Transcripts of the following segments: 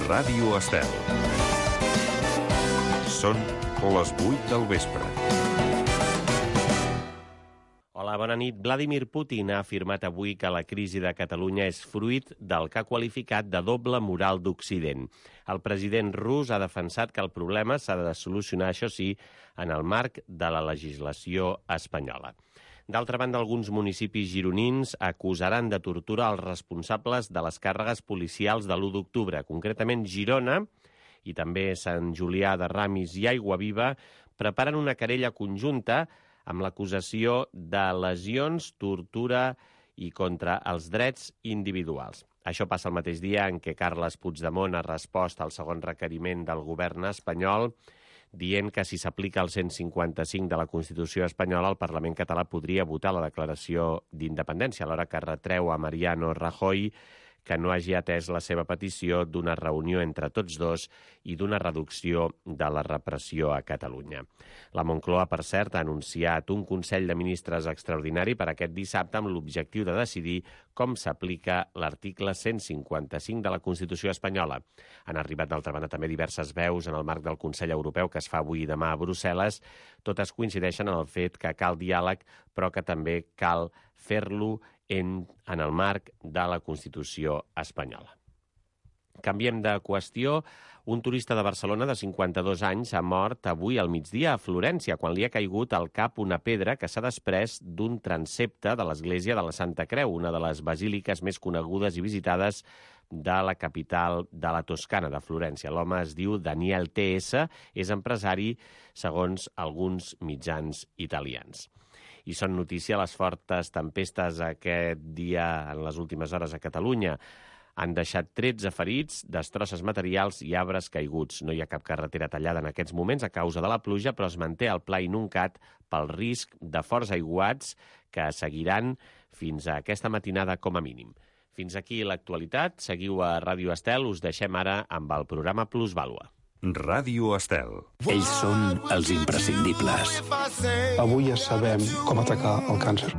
Ràdio Estel. Són les 8 del vespre. Hola, bona nit. Vladimir Putin ha afirmat avui que la crisi de Catalunya és fruit del que ha qualificat de doble moral d'Occident. El president rus ha defensat que el problema s'ha de solucionar, això sí, en el marc de la legislació espanyola. D'altra banda, alguns municipis gironins acusaran de tortura els responsables de les càrregues policials de l'1 d'octubre. Concretament, Girona i també Sant Julià de Ramis i Aiguaviva preparen una querella conjunta amb l'acusació de lesions, tortura i contra els drets individuals. Això passa el mateix dia en què Carles Puigdemont ha respost al segon requeriment del govern espanyol dient que si s'aplica el 155 de la Constitució espanyola, el Parlament català podria votar la declaració d'independència, alhora que retreu a Mariano Rajoy que no hagi atès la seva petició d'una reunió entre tots dos i d'una reducció de la repressió a Catalunya. La Moncloa, per cert, ha anunciat un Consell de Ministres extraordinari per aquest dissabte amb l'objectiu de decidir com s'aplica l'article 155 de la Constitució espanyola. Han arribat, d'altra banda, també diverses veus en el marc del Consell Europeu que es fa avui i demà a Brussel·les. Totes coincideixen en el fet que cal diàleg, però que també cal fer-lo en el marc de la Constitució espanyola. Canviem de qüestió. Un turista de Barcelona de 52 anys ha mort avui al migdia a Florència quan li ha caigut al cap una pedra que s'ha desprès d'un transsepte de l'església de la Santa Creu, una de les basíliques més conegudes i visitades de la capital de la Toscana, de Florència. L'home es diu Daniel T.S., és empresari, segons alguns mitjans italians. I són notícia les fortes tempestes aquest dia, en les últimes hores a Catalunya. Han deixat 13 ferits, destrosses materials i arbres caiguts. No hi ha cap carretera tallada en aquests moments a causa de la pluja, però es manté el pla inuncat pel risc de forts aiguats que seguiran fins a aquesta matinada com a mínim. Fins aquí l'actualitat. Seguiu a Ràdio Estel. Us deixem ara amb el programa Plusvàlua. Ràdio Estel. Ells són els imprescindibles. Avui ja sabem com atacar el càncer.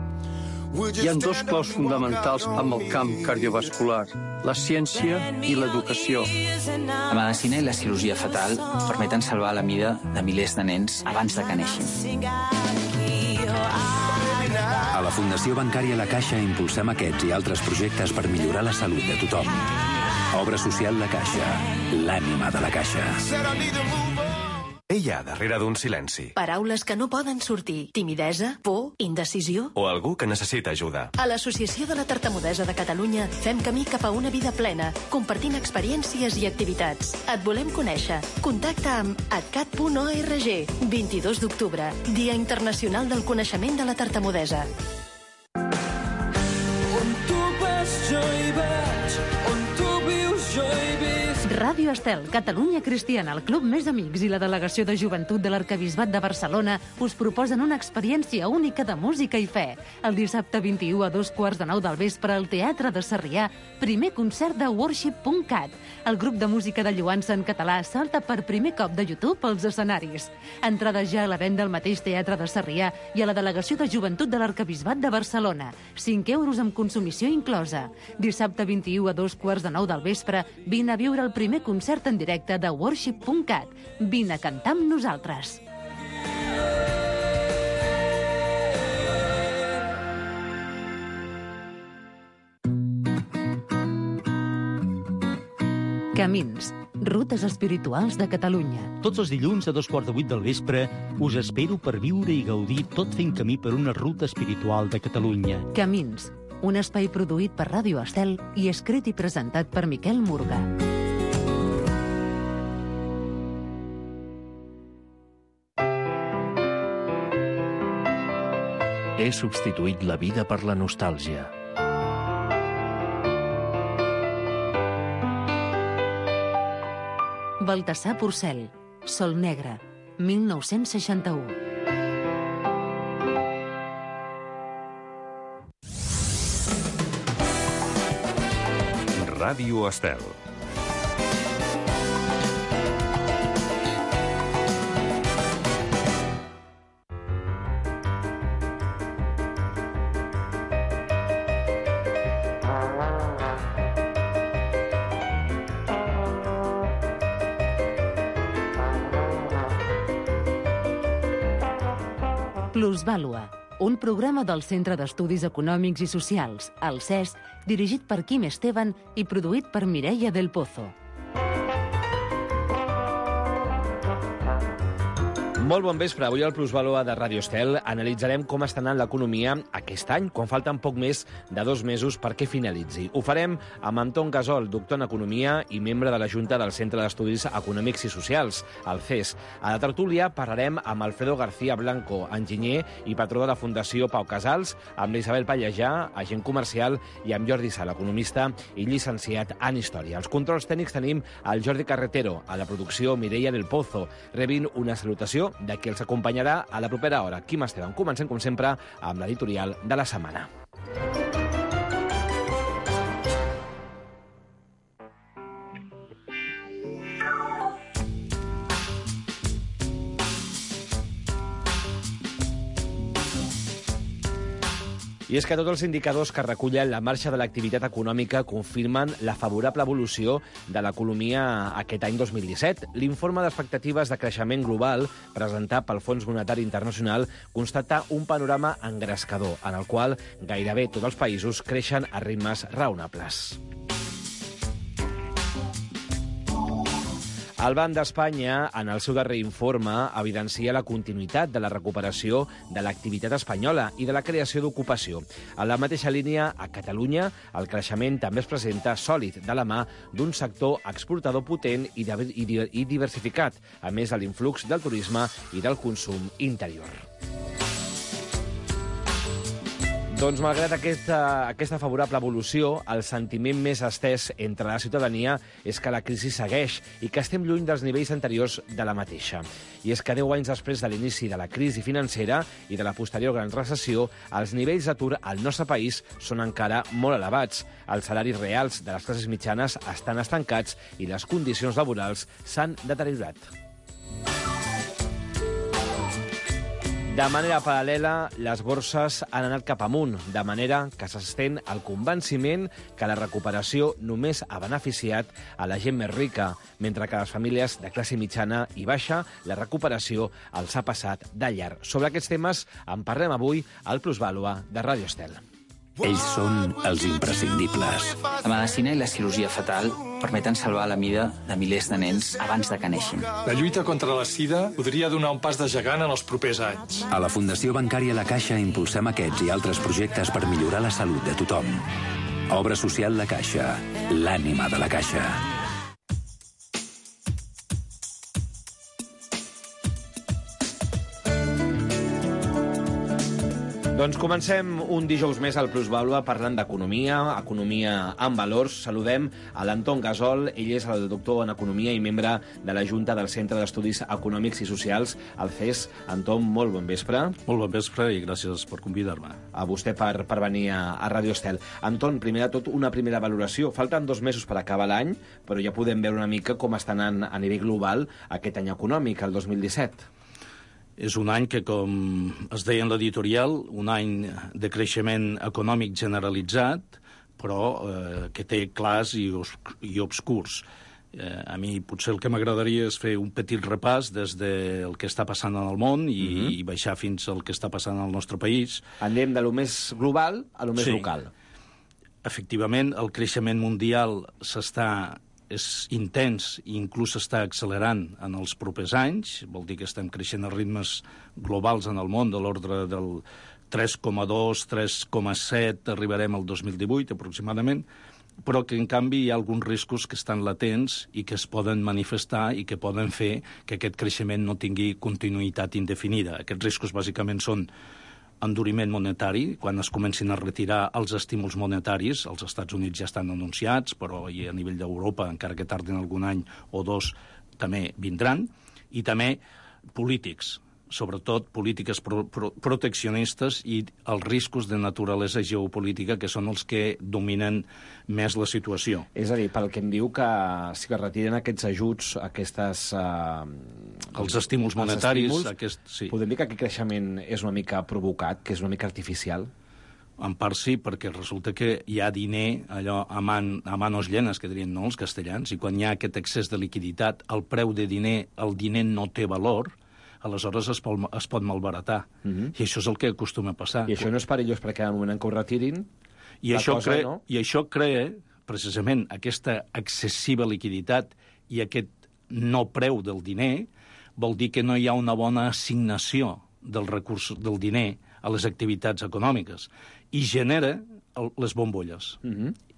Hi ha dos claus fonamentals amb el camp cardiovascular, la ciència i l'educació. La medicina i la cirurgia fetal permeten salvar la vida de milers de nens abans de que neixin. A la Fundació Bancària La Caixa impulsem aquests i altres projectes per millorar la salut de tothom. Obra social La Caixa, l'ànima de la Caixa. Què hi ha darrere d'un silenci? Paraules que no poden sortir. Timidesa, por, indecisió. O algú que necessita ajuda. A l'Associació de la Tartamudesa de Catalunya fem camí cap a una vida plena, compartint experiències i activitats. Et volem conèixer. Contacta amb atcat.org. 22 d'octubre, Dia Internacional del Coneixement de la Tartamudesa. On tu vas jo hi vaig, on tu vius jo hi visc. Ràdio Estel, Catalunya Cristiana, el Club Més Amics i la Delegació de Joventut de l'Arquebisbat de Barcelona us proposen una experiència única de música i fe. El dissabte 21 a 2:15 del vespre al Teatre de Sarrià, primer concert de Worship.cat. El grup de música de lloança en català salta per primer cop de YouTube als escenaris. Entrades ja a la venda al mateix Teatre de Sarrià i a la Delegació de Joventut de l'Arquebisbat de Barcelona. 5 euros amb consumició inclosa. Dissabte 21 a 2:15 del vespre, vine a viure el primer concert en directe de Worship.cat. Vine a cantar amb nosaltres. Camins, rutes espirituals de Catalunya. Tots els dilluns a 7:15 del vespre us espero per viure i gaudir tot fent camí per una ruta espiritual de Catalunya. Camins, un espai produït per Ràdio Estel i escrit i presentat per Miquel Murga. He substituït la vida per la nostàlgia. Baltasar Porcel, Sol Negre, 1961. Ràdio Estel. Plusvàlua, un programa del Centre d'Estudis Econòmics i Socials, el CES, dirigit per Quim Esteban i produït per Mireia del Pozo. Molt bon vespre. Avui al Plusvàlua de Ràdio Estel analitzarem com està anant l'economia aquest any, quan falten poc més de 2 mesos perquè finalitzi. Ho farem amb Anton Gasol, doctor en Economia i membre de la Junta del Centre d'Estudis Econòmics i Socials, el CES. A la tertúlia parlarem amb Alfredo García Blanco, enginyer i patró de la Fundació Pau Casals, amb l'Isabel Pallejà, agent comercial, i amb Jordi Sala, economista i llicenciat en Història. Als controls tècnics tenim el Jordi Carretero, a la producció Mireia del Pozo. Rebin una salutació de qui els acompanyarà a la propera hora. Quim Esteban. Comencem, com sempre, amb l'editorial de la setmana. I és que tots els indicadors que recullen la marxa de l'activitat econòmica confirmen la favorable evolució de l'economia aquest any 2017. L'informe d'expectatives de creixement global presentat pel Fons Monetari Internacional constata un panorama engrescador, en el qual gairebé tots els països creixen a ritmes raonables. El Banc d'Espanya, en el seu darrer informe, evidencia la continuïtat de la recuperació de l'activitat espanyola i de la creació d'ocupació. En la mateixa línia, a Catalunya, el creixement també es presenta sòlid de la mà d'un sector exportador potent i diversificat, a més de l'influx del turisme i del consum interior. Doncs, malgrat aquesta favorable evolució, el sentiment més estès entre la ciutadania és que la crisi segueix i que estem lluny dels nivells anteriors de la mateixa. I és que 10 anys després de l'inici de la crisi financera i de la posterior gran recessió, els nivells d'atur al nostre país són encara molt elevats. Els salaris reals de les classes mitjanes estan estancats i les condicions laborals s'han deteriorat. De manera paral·lela, les borses han anat cap amunt, de manera que s'estén el convenciment que la recuperació només ha beneficiat a la gent més rica, mentre que a les famílies de classe mitjana i baixa la recuperació els ha passat de llarg. Sobre aquests temes en parlem avui al Plusvàlua de Ràdio Estel. Ells són els imprescindibles. La medicina i la cirurgia fetal permeten salvar la vida de milers de nens abans de que neixin. La lluita contra la sida podria donar un pas de gegant en els propers anys. A la Fundació Bancària La Caixa impulsem aquests i altres projectes per millorar la salut de tothom. Obra social La Caixa, l'ànima de la Caixa. Doncs comencem un dijous més al Plusvàlua parlant d'economia, economia amb valors. Saludem a l'Anton Gasol, ell és el doctor en Economia i membre de la Junta del Centre d'Estudis Econòmics i Socials, el CES. Anton, molt bon vespre. Molt bon vespre i gràcies per convidar-me. A vostè per venir a Ràdio Estel. Anton, primer de tot, una primera valoració. Falten 2 mesos per acabar l'any, però ja podem veure una mica com està anant a nivell global aquest any econòmic, el 2017. És un any que, com es deia en l'editorial, un any de creixement econòmic generalitzat, però que té clars i obscurs. A mi potser el que m'agradaria és fer un petit repàs des del que està passant en el món i baixar fins al que està passant al nostre país. Anem de lo més global a lo més local. Efectivament, el creixement mundial és intens i inclús s'està accelerant en els propers anys. Vol dir que estem creixent a ritmes globals en el món de l'ordre del 3,2, 3,7, arribarem al 2018 aproximadament, però que en canvi hi ha alguns riscos que estan latents i que es poden manifestar i que poden fer que aquest creixement no tingui continuïtat indefinida. Aquests riscos bàsicament són enduriment monetari, quan es comencin a retirar els estímuls monetaris. Els Estats Units ja estan anunciats, però a nivell d'Europa, encara que tardin algun any o 2, també vindran. I també polítics, sobretot polítiques proteccionistes i els riscos de naturalesa geopolítica, que són els que dominen més la situació. És a dir, pel que em diu que si es retiren aquests ajuts, aquestes... els estímuls monetaris... Podem dir que aquest creixement és una mica provocat, que és una mica artificial? En part sí, perquè resulta que hi ha diner, allò a manos llenes, que dirien els castellans, i quan hi ha aquest excés de liquiditat, el preu de diner, el diner no té valor, aleshores es pot malbaratar. I això és el que acostuma a passar. I això no és perillós perquè al moment que ho retirin, I això crea, precisament, aquesta excessiva liquiditat i aquest no preu del diner, vol dir que no hi ha una bona assignació del recurs del diner a les activitats econòmiques i genera les bombolles.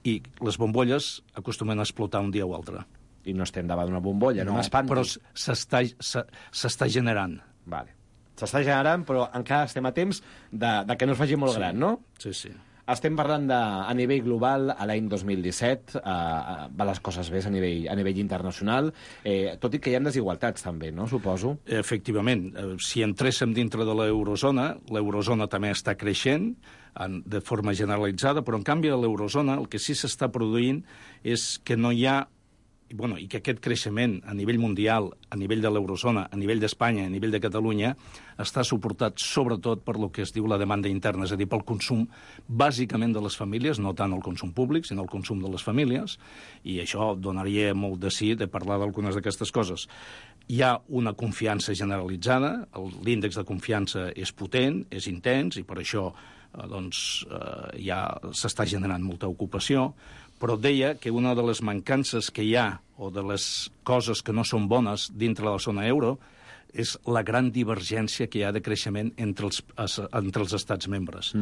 I les bombolles acostumen a explotar un dia o altre. I no estem davant d'una bombolla, no m'espanti. Però s'està generant. Vale. S'està generant, però encara estem a temps de que no es faci molt gran, no? Sí, sí. Estem parlant a nivell global, a l'any 2017, va les coses bé a nivell internacional, tot i que hi ha desigualtats també, no? Suposo. Efectivament. Si entréssim dintre de l'eurozona també està creixent de forma generalitzada, però en canvi a l'eurozona el que sí s'està produint és que no hi ha i que aquest creixement a nivell mundial, a nivell de l'eurozona, a nivell d'Espanya, a nivell de Catalunya, està suportat sobretot per lo que es diu la demanda interna, és a dir, pel consum bàsicament de les famílies, no tant el consum públic, sinó el consum de les famílies, i això donaria molt de sí de parlar d'algunes d'aquestes coses. Hi ha una confiança generalitzada, l'índex de confiança és potent, és intens, i per això ja s'està generant molta ocupació, però deia que una de les mancances que hi ha, o de les coses que no són bones dintre de la zona euro, és la gran divergència que hi ha de creixement entre els estats membres.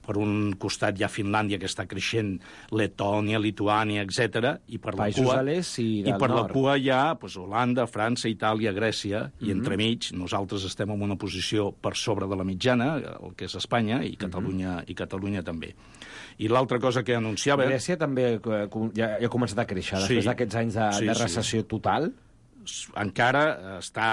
Per un costat hi ha Finlàndia, que està creixent, Letònia, Lituània, etc. I per Països de l'est i del nord. La cua hi ha Holanda, França, Itàlia, Grècia, i entremig nosaltres estem en una posició per sobre de la mitjana, el que és Espanya, i Catalunya també. I l'altra cosa que anunciava... Grècia també ja ha començat a créixer, després d'aquests anys de recessió total. Encara està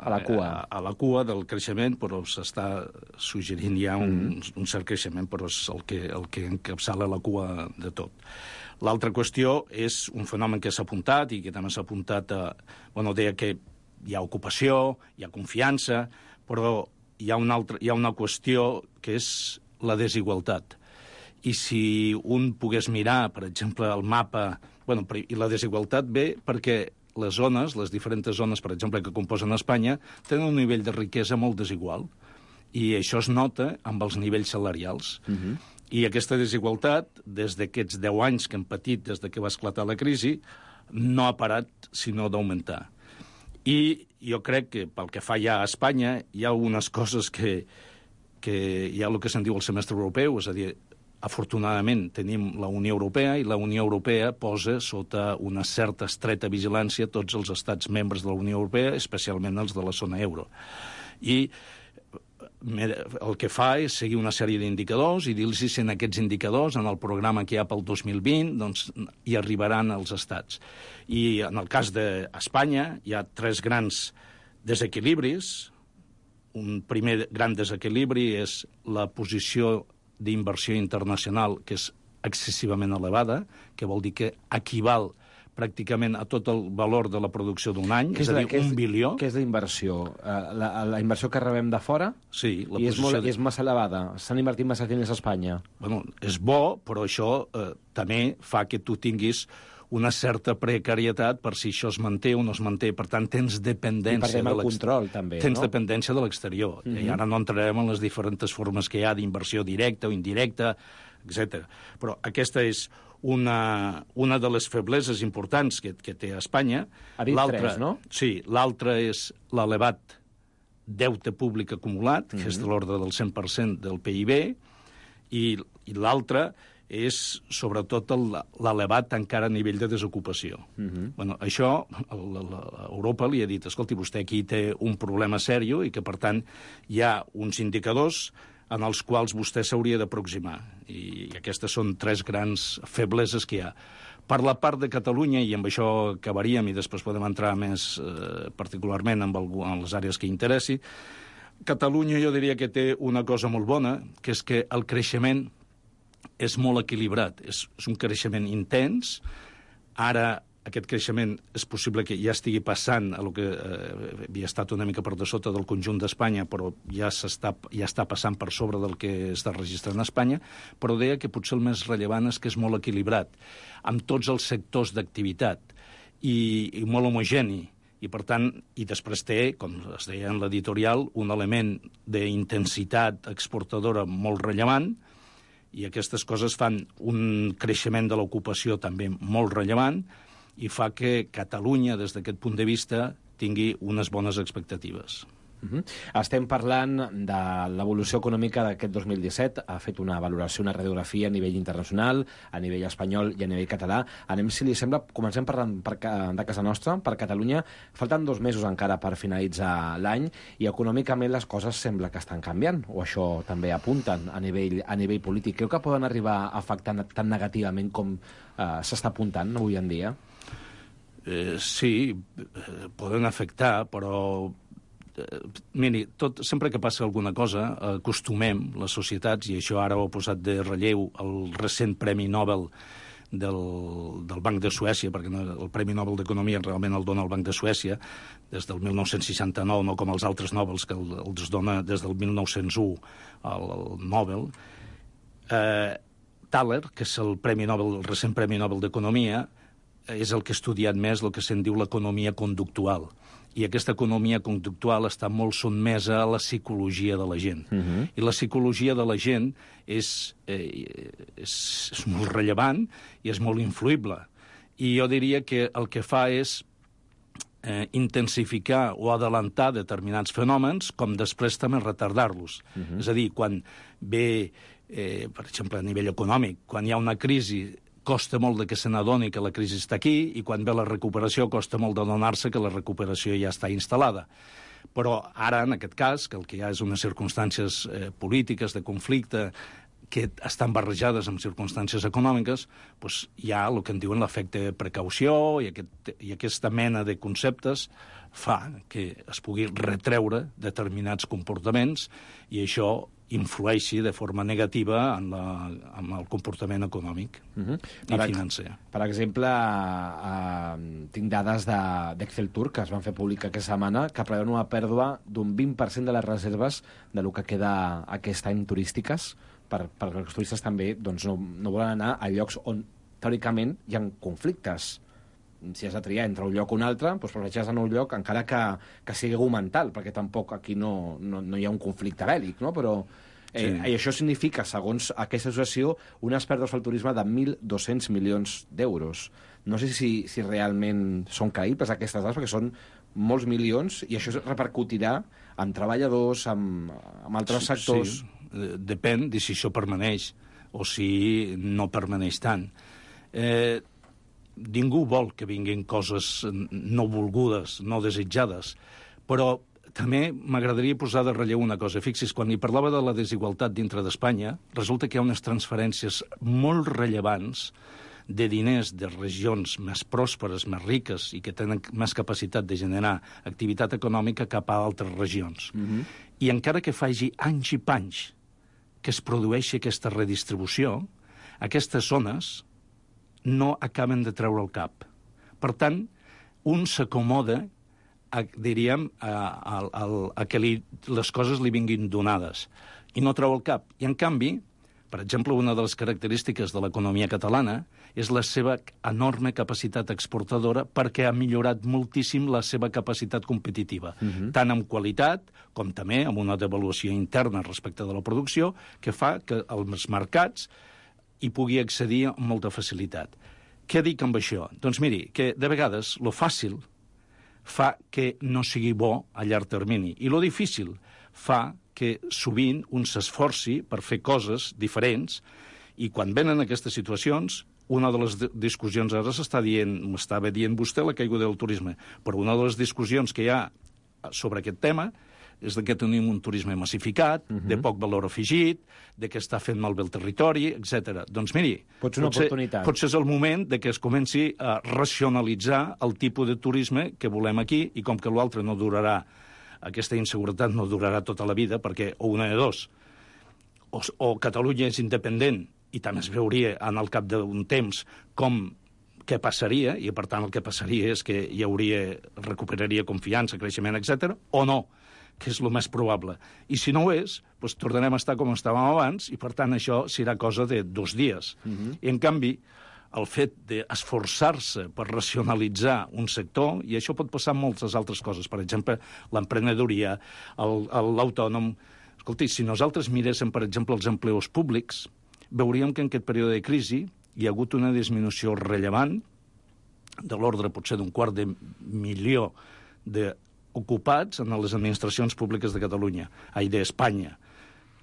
a la cua del creixement, però s'està suggerint ja un cert creixement, però és el que encapçala la cua de tot. L'altra qüestió és un fenomen que s'ha apuntat i que també s'ha apuntat deia que hi ha ocupació, hi ha confiança, però hi ha una qüestió que és la desigualtat. I si un pogués mirar, per exemple, el mapa... I la desigualtat ve perquè les zones, les diferents zones, per exemple, que composen Espanya, tenen un nivell de riquesa molt desigual. I això es nota amb els nivells salarials. I aquesta desigualtat, des d'aquests 10 anys que hem patit des que va esclatar la crisi, no ha parat sinó d'augmentar. I jo crec que pel que fa ja a Espanya hi ha algunes coses que hi ha el que se'n diu el semestre europeu, és a dir, afortunadament tenim la Unió Europea i la Unió Europea posa sota una certa estreta vigilància tots els estats membres de la Unió Europea, especialment els de la zona euro. I el que fa és seguir una sèrie d'indicadors i dir-los si en aquests indicadors, en el programa que hi ha pel 2020, doncs hi arribaran els estats. I en el cas d'Espanya hi ha 3 grans desequilibris. Un primer gran desequilibri és la posició d'inversió internacional, que és excessivament elevada, que vol dir que equival pràcticament a tot el valor de la producció d'un any, és a dir, 1 bilió. Què és la inversió? La inversió que rebem de fora? Sí. I és massa elevada? S'han invertit massa diners a Espanya? És bo, però això també fa que tu tinguis una certa precarietat per si això es manté o no es manté. Per tant, tens dependència... I perdem el control, també, Tens dependència de l'exterior. I ara no entrarem en les diferents formes que hi ha d'inversió directa o indirecta, etc. Però aquesta és una de les febleses importants que té Espanya. Ha dit 3, no? Sí, l'altra és l'elevat deute públic acumulat, que és de l'ordre del 100% del PIB, i l'altra és sobretot l'elevat encara nivell de desocupació. Això Europa li ha dit, escolti, vostè aquí té un problema sèrio i que, per tant, hi ha uns indicadors en els quals vostè s'hauria d'aproximar. I aquestes són 3 grans febleses que hi ha. Per la part de Catalunya, i amb això acabaríem i després podem entrar més particularment en les àrees que interessi, Catalunya jo diria que té una cosa molt bona, que és que el creixement és molt equilibrat, és un creixement intens. Ara aquest creixement és possible que ja estigui passant a lo que havia estat una mica per de sota del conjunt d'Espanya, però ja està passant per sobre del que està registrant a Espanya, però deia que potser el més rellevant és que és molt equilibrat, amb tots els sectors d'activitat, i molt homogeni, i per tant, i després té, com es deia en l'editorial, un element d'intensitat exportadora molt rellevant, i aquestes coses fan un creixement de l'ocupació també molt rellevant i fa que Catalunya, des d'aquest punt de vista, tingui unes bones expectatives. Estem parlant de l'evolució econòmica d'aquest 2017. Ha fet una valoració, una radiografia a nivell internacional, a nivell espanyol i a nivell català. Anem, si li sembla, comencem parlant de casa nostra, per Catalunya. Falten 2 mesos encara per finalitzar l'any i econòmicament les coses sembla que estan canviant, o això també apunten a nivell polític. Creu que poden arribar a afectar tan negativament com s'està apuntant avui en dia? Sí, poden afectar, però miri, sempre que passa alguna cosa, acostumem les societats, i això ara ho ha posat de relleu el recent Premi Nobel del Banc de Suècia, perquè el Premi Nobel d'Economia realment el dona el Banc de Suècia des del 1969, no com els altres Nobels que els dona des del 1901 el Nobel. Thaler, que és el recent Premi Nobel d'Economia, és el que ha estudiat més el que se'n diu l'economia conductual. I aquesta economia conductual està molt sotmesa a la psicologia de la gent. I la psicologia de la gent és molt rellevant i és molt influïble. I jo diria que el que fa és intensificar o adelantar determinats fenòmens, com després també retardar-los. És a dir, quan ve, per exemple, a nivell econòmic, quan hi ha una crisi, costa molt que se n'adoni que la crisi està aquí, i quan ve la recuperació costa molt d'adonar-se que la recuperació ja està instal·lada. Però ara, en aquest cas, que el que hi ha és unes circumstàncies polítiques de conflicte que estan barrejades amb circumstàncies econòmiques, doncs hi ha el que en diuen l'efecte precaució, i aquesta mena de conceptes fa que es pugui retreure determinats comportaments, i això influeixi de forma negativa en el comportament econòmic i financer. Per exemple, tinc dades d'Excel Tour que es van fer públic aquesta setmana que preveuen una pèrdua d'un 20% de les reserves de lo que queda aquest any turístiques, perquè els turistes també no volen anar a llocs on teòricament hi ha conflictes. Si has de triar entre un lloc o un altre, doncs prefereixes anar a un lloc encara que sigui argumental, perquè tampoc aquí no hi ha un conflicte bèl·lic, no? Però i això significa, segons aquesta associació, unes pèrdues al turisme de 1.200 milions d'euros. No sé si realment són creïbles aquestes dades, perquè són molts milions, i això repercutirà en treballadors, en altres sectors. Sí, depèn de si això permaneix o si no permaneix tant. Ningú vol que vinguin coses no volgudes, no desitjades, però també m'agradaria posar de relleu una cosa. Fixis, quan hi parlava de la desigualtat dintre d'Espanya, resulta que hi ha unes transferències molt rellevants de diners de regions més pròsperes, més riques i que tenen més capacitat de generar activitat econòmica cap a altres regions. I encara que faci anys i panys que es produeixi aquesta redistribució, aquestes zones no acaben de treure el cap. Per tant, un s'acomoda, diríem, a que les coses li vinguin donades i no treu el cap. I, en canvi, per exemple, una de les característiques de l'economia catalana és la seva enorme capacitat exportadora, perquè ha millorat moltíssim la seva capacitat competitiva, tant en qualitat com també amb una devaluació interna respecte de la producció, que fa que els mercats hi pugui accedir amb molta facilitat. Què dic amb això? Doncs miri, que de vegades lo fàcil fa que no sigui bo a llarg termini, i lo difícil fa que sovint un s'esforci per fer coses diferents, i quan venen aquestes situacions, una de les discussions ara m'estava dient vostè la caiguda del turisme, però una de les discussions que hi ha sobre aquest tema és que tenim un turisme massificat, de poc valor afegit, de que està fent malbé el territori, etc. Doncs miri, potser és el moment de que es comenci a racionalitzar el tipus de turisme que volem aquí, i com que l'altre no durarà, aquesta inseguretat no durarà tota la vida, perquè o una de dos, o Catalunya és independent, i també es veuria en el cap d'un temps què passaria, i per tant el que passaria és que recuperaria confiança, creixement, etc., o no, que és el més probable. I si no ho és, doncs tornarem a estar com estàvem abans, i per tant això serà cosa de 2 dies. I en canvi, el fet d'esforçar-se per racionalitzar un sector, i això pot passar amb moltes altres coses. Per exemple, l'emprenedoria, l'autònom. Escolti, si nosaltres miréssim, per exemple, els empleus públics, veuríem que en aquest període de crisi hi ha hagut una disminució rellevant de l'ordre potser $250.000 d'ocupats en les administracions públiques de Catalunya, d'Espanya.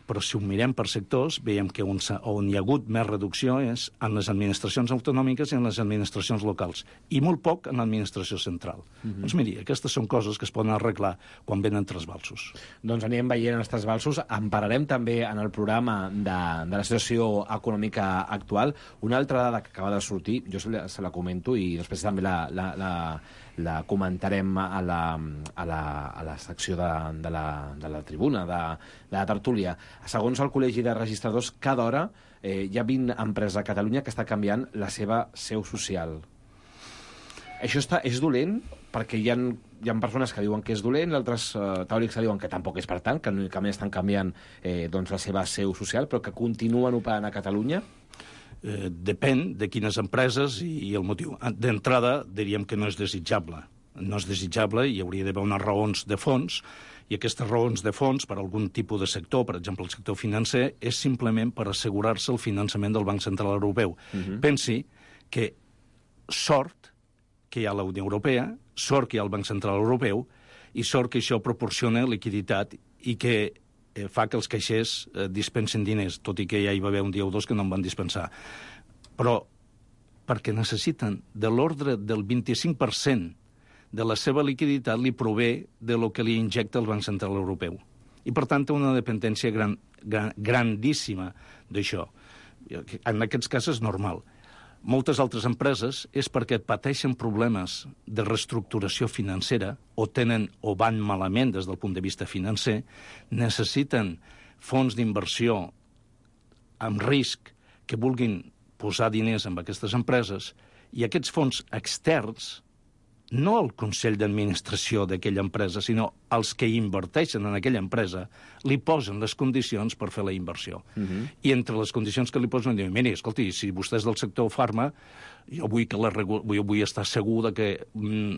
Però si ho mirem per sectors, veiem que on hi ha hagut més reducció és en les administracions autonòmiques i en les administracions locals, i molt poc en l'administració central. Doncs miri, aquestes són coses que es poden arreglar quan venen trasbalsos. Doncs anirem veient els trasbalsos. En parlarem també en el programa de la situació econòmica actual. Una altra dada que acaba de sortir, jo se la comento i després també la comentarem a la secció de la tribuna, de la tertúlia. Segons el Col·legi de Registradors, cada hora hi ha 20 empreses a Catalunya que està canviant la seva seu social. Això és dolent, perquè hi ha persones que diuen que és dolent, altres teòrics que diuen que tampoc és per tant, que únicament estan canviant la seva seu social, però que continuen operant a Catalunya. Depèn de quines empreses i el motiu. D'entrada, diríem que no és desitjable. No és desitjable, hi hauria d'haver unes raons de fons, i aquestes raons de fons per algun tipus de sector, per exemple el sector financer, és simplement per assegurar-se el finançament del Banc Central Europeu. Pensi que sort que hi ha la Unió Europea, sort que hi ha el Banc Central Europeu, i sort que això proporciona liquiditat i que fa que els caixers dispensen diners, tot i que ja hi va haver un dia o dos que no en van dispensar. Però perquè necessiten de l'ordre del 25% de la seva liquiditat li prové de lo que li injecta el Banc Central Europeu. I, per tant, té una dependència grandíssima d'això. En aquests casos és normal. Moltes altres empreses és perquè pateixen problemes de reestructuració financera o tenen o van malament des del punt de vista financer, necessiten fons d'inversió amb risc que vulguin posar diners en aquestes empreses, i aquests fons externs, no el Consell d'Administració d'aquella empresa, sinó els que inverteixen en aquella empresa, li posen les condicions per fer la inversió. I entre les condicions que li posen, diuen, miri, escolti, si vostè és del sector farma, jo vull estar segur que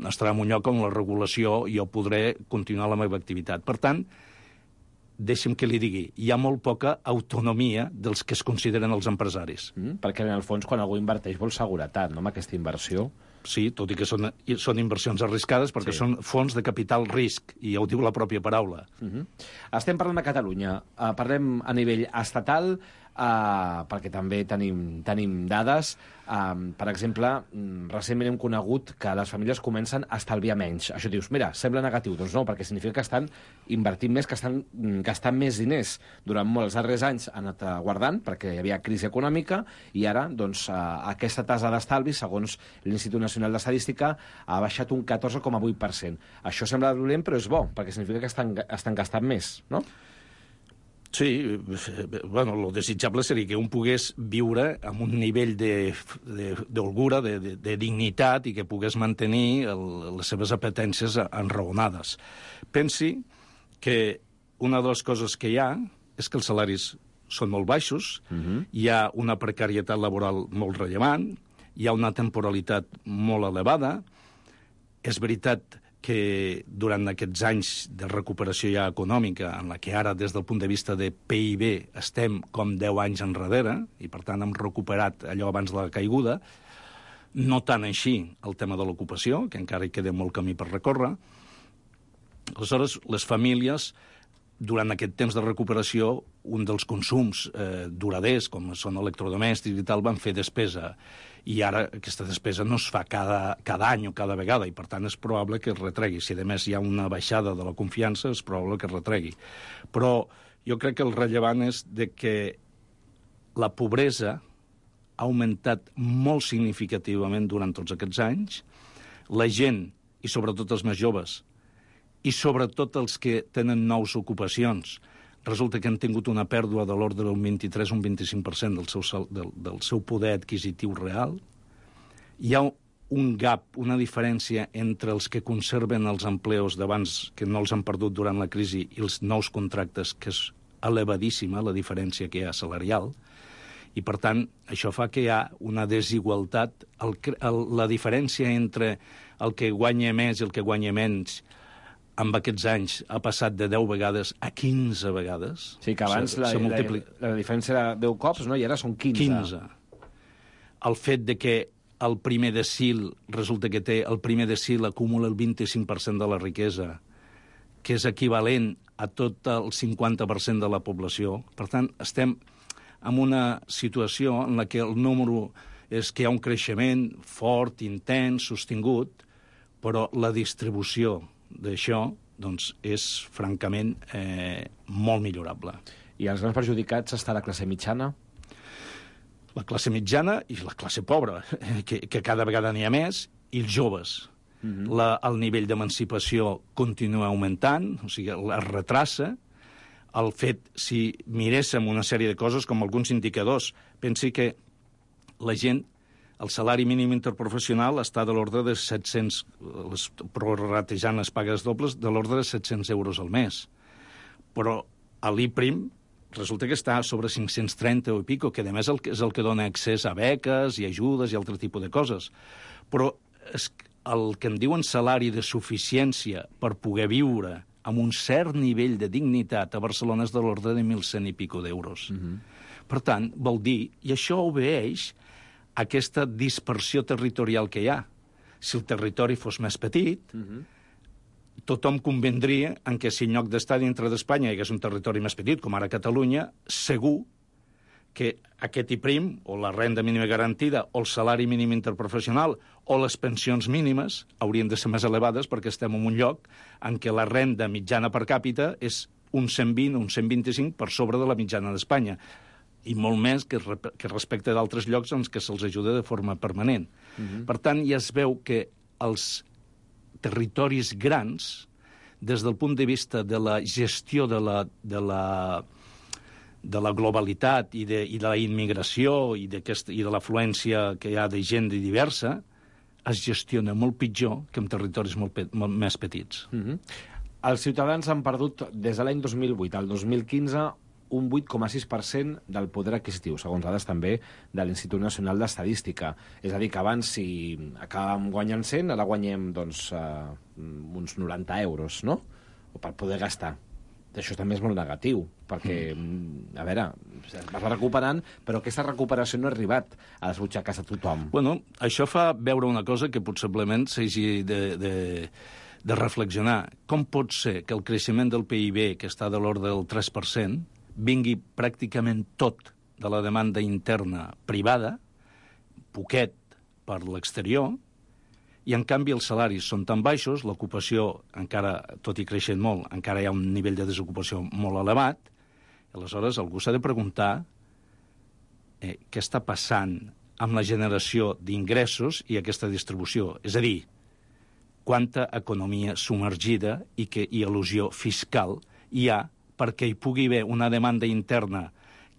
estarà en un lloc on la regulació jo podré continuar la meva activitat. Per tant, deixi'm que li digui, hi ha molt poca autonomia dels que es consideren els empresaris. Perquè, en el fons, quan algú inverteix vol seguretat, no?, amb aquesta inversió. Sí, tot i que són inversions arriscades, perquè són fons de capital risc, i ja ho diu la pròpia paraula. Estem parlant de Catalunya. Parlem a nivell estatal, perquè també tenim dades. Per exemple, recentment hem conegut que les famílies comencen a estalviar menys. Això dius, mira, sembla negatiu. Doncs no, perquè significa que estan invertint més, que estan gastant més diners. Durant molts darrers anys han anat guardant, perquè hi havia crisi econòmica, i ara, doncs, aquesta tasa d'estalvi, segons l'Institut Nacional d'Estadística, ha baixat un 14,8%. Això sembla dolent, però és bo, perquè significa que estan gastant més, no? Sí, bueno, lo desitjable seria que un pogués viure amb un nivell d'holgura, de dignitat, i que pogués mantenir les seves apetències enraonades. Pensi que una de les coses que hi ha és que els salaris són molt baixos, hi ha una precarietat laboral molt rellevant, hi ha una temporalitat molt elevada. És veritat que durant aquests anys de recuperació ja econòmica, en la que ara, des del punt de vista de PIB, estem com 10 anys enrere, i per tant hem recuperat allò abans de la caiguda, no tant així el tema de l'ocupació, que encara hi queda molt camí per recórrer. Aleshores, les famílies, durant aquest temps de recuperació, un dels consums duraders, com són electrodomèstics i tal, van fer despesa. I ara aquesta despesa no es fa cada any o cada vegada, i per tant és probable que es retregui. Si a més hi ha una baixada de la confiança, és probable que es retregui. Però jo crec que el rellevant és de que la pobresa ha augmentat molt significativament durant tots aquests anys. La gent, i sobretot els més joves, i sobretot els que tenen nous ocupacions, resulta que han tingut una pèrdua de l'ordre d'un 23 o un 25% del seu poder adquisitiu real. Hi ha un gap, una diferència entre els que conserven els empleos d'abans, que no els han perdut durant la crisi, i els nous contractes, que és elevadíssima, la diferència que hi ha salarial. I, per tant, això fa que hi ha una desigualtat. La diferència entre el que guanya més i el que guanya menys amb aquests anys ha passat de 10 vegades a 15 vegades. Sí, que abans la diferència era 10 cops, no? I ara són 15. El fet de que el primer decil, resulta que el primer decil acumula el 25% de la riquesa, que és equivalent a tot el 50% de la població. Per tant, estem en una situació en la que el número és que hi ha un creixement fort, intens, sostingut, però la distribució d'això doncs, és, francament, molt millorable. I els grans perjudicats està la classe mitjana? La classe mitjana i la classe pobra, que cada vegada n'hi ha més, i els joves. El nivell d'emancipació continua augmentant, o sigui, es retrassa. El fet, si miréssim una sèrie de coses, com alguns indicadors, pensi que la gent, el salari mínim interprofessional està de l'ordre de 700, prorratejant les pagues dobles, de l'ordre de 700 euros al mes. Però a l'IPRIM resulta que està sobre 530 o i pico, que a més és el que dona accés a beques i ajudes i altre tipus de coses. Però el que en diuen salari de suficiència per poder viure amb un cert nivell de dignitat a Barcelona és de l'ordre de 1.100 i pico d'euros. Per tant, vol dir, i això obeeix a aquesta dispersió territorial que hi ha. Si el territori fos més petit, tothom convendria en que si en lloc d'estar dintre d'Espanya hi hagués un territori més petit, com ara Catalunya, segur que aquest IPRIM, o la renda mínima garantida, o el salari mínim interprofessional, o les pensions mínimes, haurien de ser més elevades perquè estem en un lloc en què la renda mitjana per càpita és un 120 o un 125 per sobre de la mitjana d'Espanya, i molt més que respecte d'altres llocs en què se'ls ajuda de forma permanent. Per tant, ja es veu que els territoris grans, des del punt de vista de la gestió de la globalitat i de la immigració i de l'afluència que hi ha de gent diversa, es gestiona molt pitjor que en territoris molt més petits. Els ciutadans han perdut, des de l'any 2008 al 2015, un 8,6% del poder adquisitiu, segons dades també de l'Institut Nacional d'Estadística. És a dir, que abans, si acabàvem guanyant 100, ara guanyem doncs, uns 90 euros, no? O per poder gastar. Això també és molt negatiu, perquè, a veure, es va recuperant, però aquesta recuperació no ha arribat a les butxaques de tothom. Bueno, això fa veure una cosa que possiblement s'hagi de reflexionar. Com pot ser que el creixement del PIB, que està de l'ordre del 3%, vingui pràcticament tot de la demanda interna privada, poquet per l'exterior, i en canvi els salaris són tan baixos, l'ocupació encara, tot i creixent molt, encara hi ha un nivell de desocupació molt elevat, i aleshores algú s'ha de preguntar què està passant amb la generació d'ingressos i aquesta distribució. És a dir, quanta economia submergida i elusió fiscal hi ha perquè hi pugui haver una demanda interna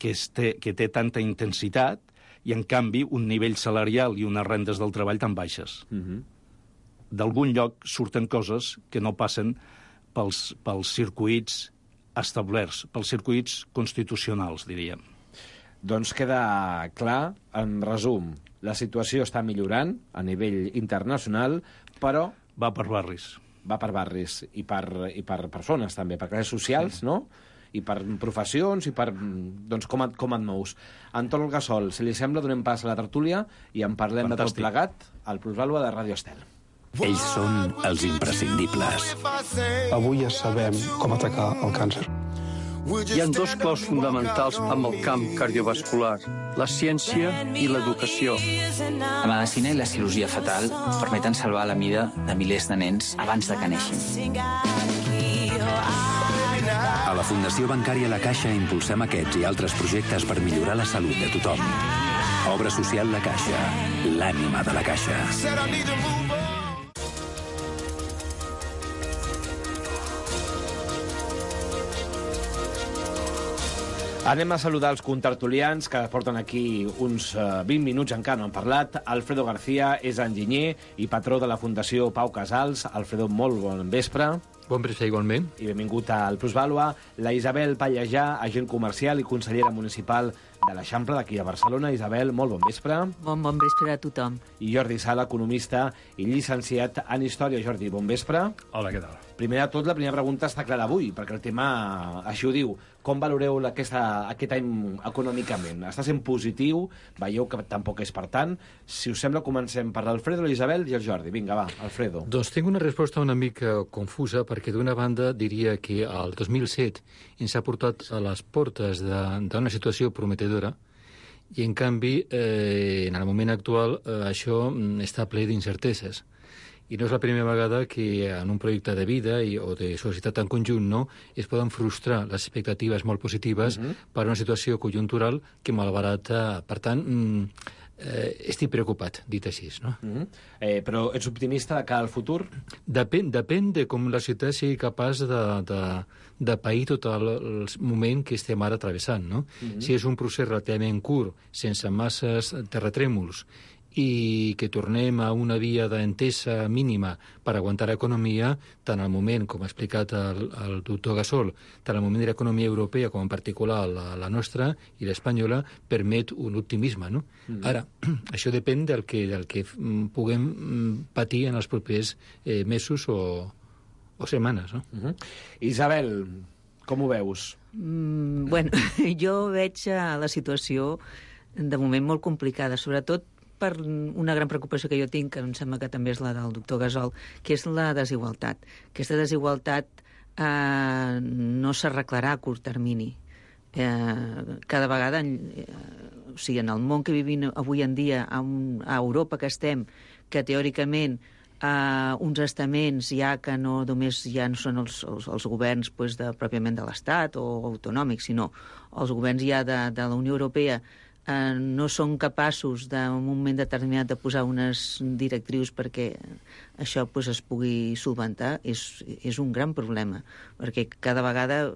que té tanta intensitat i, en canvi, un nivell salarial i unes rendes del treball tan baixes. D'algun lloc surten coses que no passen pels circuits establerts, pels circuits constitucionals, diríem. Doncs queda clar, en resum, la situació està millorant a nivell internacional, però... Va per barris. Va per barris i per persones, també, per classes socials, no? I per professions, i per... Doncs com et mous. Anton Olgasol, si li sembla, donem pas a la tertúlia i en parlem de tot plegat al Plusvàlua de Ràdio Estel. Ells són els imprescindibles. Avui ja sabem com atacar el càncer. Hi ha dos claus fonamentals amb el camp cardiovascular, la ciència i l'educació. La medicina i la cirurgia fetal permeten salvar la vida de milers de nens abans de que neixin. A la Fundació Bancària La Caixa impulsem aquests i altres projectes per millorar la salut de tothom. Obra social La Caixa, l'ànima de la Caixa. Anem a saludar els contertulians que porten aquí uns 20 minuts, encara no han parlat. Alfredo García és enginyer i patró de la Fundació Pau Casals. Alfredo, molt bon vespre. Bon vespre, igualment. I benvingut al Plusvàlua. La Isabel Pallejà, agent comercial i consellera municipal de l'Eixample d'aquí a Barcelona. Isabel, molt bon vespre. Bon vespre a tothom. I Jordi Sala, economista i llicenciat en Història. Jordi, bon vespre. Hola, què tal? Primer de tot, la primera pregunta està clara avui, perquè el tema així ho diu. Com valoreu aquest any econòmicament? Està sent positiu? Veieu que tampoc és per tant? Si us sembla, comencem per l'Alfredo, l'Isabel i el Jordi. Vinga, va, Alfredo. Doncs tinc una resposta una mica confusa, perquè d'una banda diria que el 2007 ens ha portat a les portes d'una situació prometedora, i en canvi, en el moment actual, això està ple d'incerteses. I no és la primera vegada que en un projecte de vida o de societat en conjunt es poden frustrar les expectatives molt positives per una situació conjuntural que malbarata. Per tant, estic preocupat, dit així. No? Però ets optimista de cara al futur? Depèn de com la ciutat sigui capaç de pair tot el moment que estem ara travessant. No? Si és un procés relativament curt, sense masses terratrèmols, i que tornem a una via d'entesa mínima per aguantar l'economia, tant al moment, com ha explicat el doctor Gasol, tant al moment de l'economia europea com en particular la nostra i l'espanyola, permet un optimisme. No? Ara, això depèn del que puguem patir en els propers mesos o setmanes. No? Isabel, com ho veus? Bueno, jo veig la situació de moment molt complicada, sobretot per una gran preocupació que jo tinc, que em sembla que també és la del doctor Gasol, que és la desigualtat. Aquesta desigualtat no s'arreglarà a curt termini. Cada vegada, o sigui, en el món que vivim avui en dia, a Europa que estem, que teòricament uns estaments ja que no només ja no són els governs pròpiament de l'Estat o autonòmics, sinó els governs ja de la Unió Europea, no són capaços en un moment determinat de posar unes directrius perquè això es pugui solventar, és un gran problema, perquè cada vegada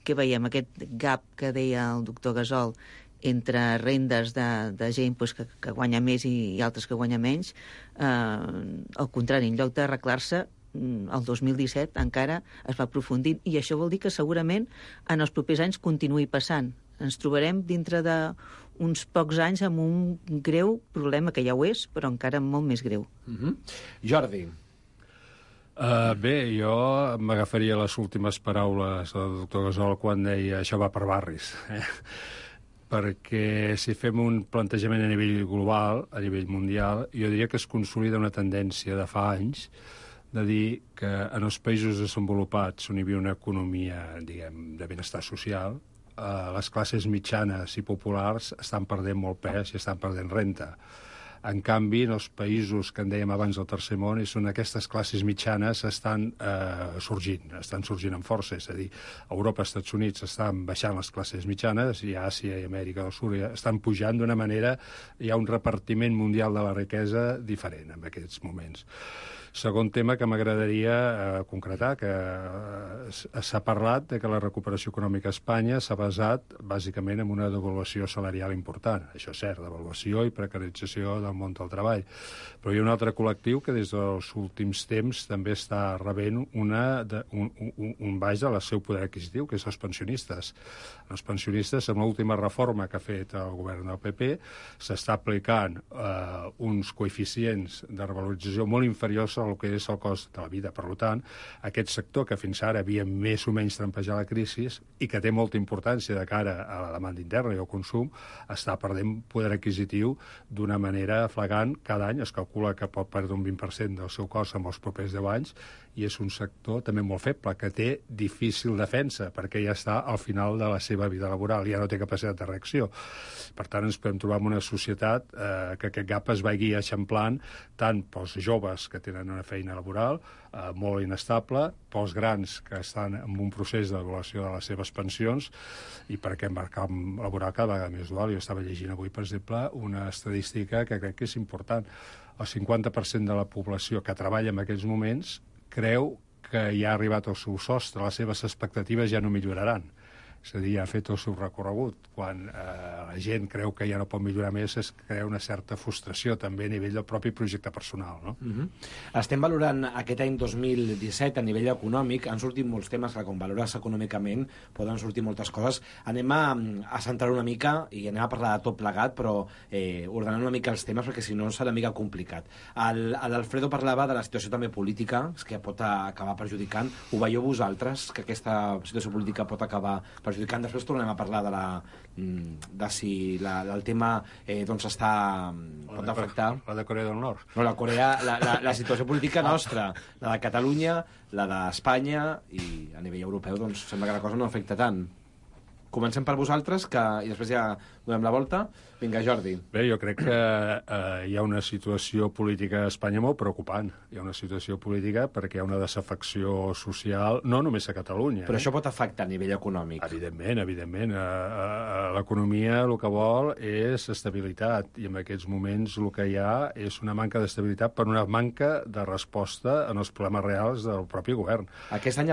que veiem aquest gap que deia el doctor Gasol entre rendes de gent que guanya més i altres que guanya menys, al contrari, en lloc d'arreglar-se, el 2017 encara es va aprofundint, i això vol dir que segurament en els propers anys continuï passant. Ens trobarem dintre d'uns pocs anys amb un greu problema, que ja ho és, però encara molt més greu. Jordi. Bé, jo m'agafaria les últimes paraules del doctor Gasol quan deia això va per barris. Perquè si fem un plantejament a nivell global, a nivell mundial, jo diria que es consolida una tendència de fa anys de dir que en els països desenvolupats on hi havia una economia, diguem, de benestar social, les classes mitjanes i populars estan perdent molt pes i estan perdent renta. En canvi, en els països que en dèiem abans del tercer món, són aquestes classes mitjanes estan sorgint amb força. És a dir, Europa i Estats Units estan baixant les classes mitjanes i Àsia i Amèrica del Sud estan pujant d'una manera, hi ha un repartiment mundial de la riquesa diferent en aquests moments. Segon tema que m'agradaria concretar, que s'ha parlat de que la recuperació econòmica a Espanya s'ha basat bàsicament en una devaluació salarial important. Això és cert, devaluació i precarització del món del treball. Però hi ha un altre col·lectiu que des dels últims temps també està rebent un baix del seu poder adquisitiu, que és els pensionistes. Els pensionistes, amb l'última reforma que ha fet el govern del PP, s'està aplicant uns coeficients de revalorització molt inferiors el que és el cost de la vida. Per tant, aquest sector que fins ara havia més o menys trampejat la crisi i que té molta importància de cara a la demanda interna i al consum, està perdent poder adquisitiu d'una manera flagrant. Cada any es calcula que pot perdre un 20% del seu cost en els propers 10 anys, i és un sector també molt feble, que té difícil defensa, perquè ja està al final de la seva vida laboral, ja no té capacitat de reacció. Per tant, ens podem trobar en una societat que aquest gap es vagi eixamplant tant pels joves que tenen una feina laboral molt inestable, pels grans que estan en un procés d'avaluació de les seves pensions, i perquè el mercat laboral cada vegada més dual. Jo estava llegint avui, per exemple, una estadística que crec que és important. El 50% de la població que treballa en aquests moments creu que ja ha arribat al seu sostre, les seves expectatives ja no milloraran. És a dir, ha fet el seu recorregut. Quan la gent creu que ja no pot millorar més, es crea una certa frustració també a nivell del propi projecte personal, no? Estem valorant aquest any 2017 a nivell econòmic. Han sortit molts temes que, com valores econòmicament, poden sortir moltes coses. Anem a centrar una mica i anem a parlar de tot plegat, però ordenant una mica els temes, perquè si no serà una mica complicat. L'Alfredo parlava de la situació també política, que pot acabar perjudicant. Ho veieu vosaltres, que aquesta situació política pot acabar perjudicant? Després tornem a parlar de si el tema doncs pot afectar... La de Corea del Nord. No, la situació política nostra, la de Catalunya, la d'Espanya, i a nivell europeu doncs sembla que la cosa no afecta tant. Comencem per vosaltres, i després ja donem la volta. Vinga, Jordi. Bé, jo crec que hi ha una situació política a Espanya molt preocupant. Hi ha una situació política perquè hi ha una desafecció social, no només a Catalunya. Però això pot afectar a nivell econòmic. Evidentment, evidentment. L'economia el que vol és estabilitat, i en aquests moments el que hi ha és una manca d'estabilitat per una manca de resposta en els problemes reals del propi govern. Aquesta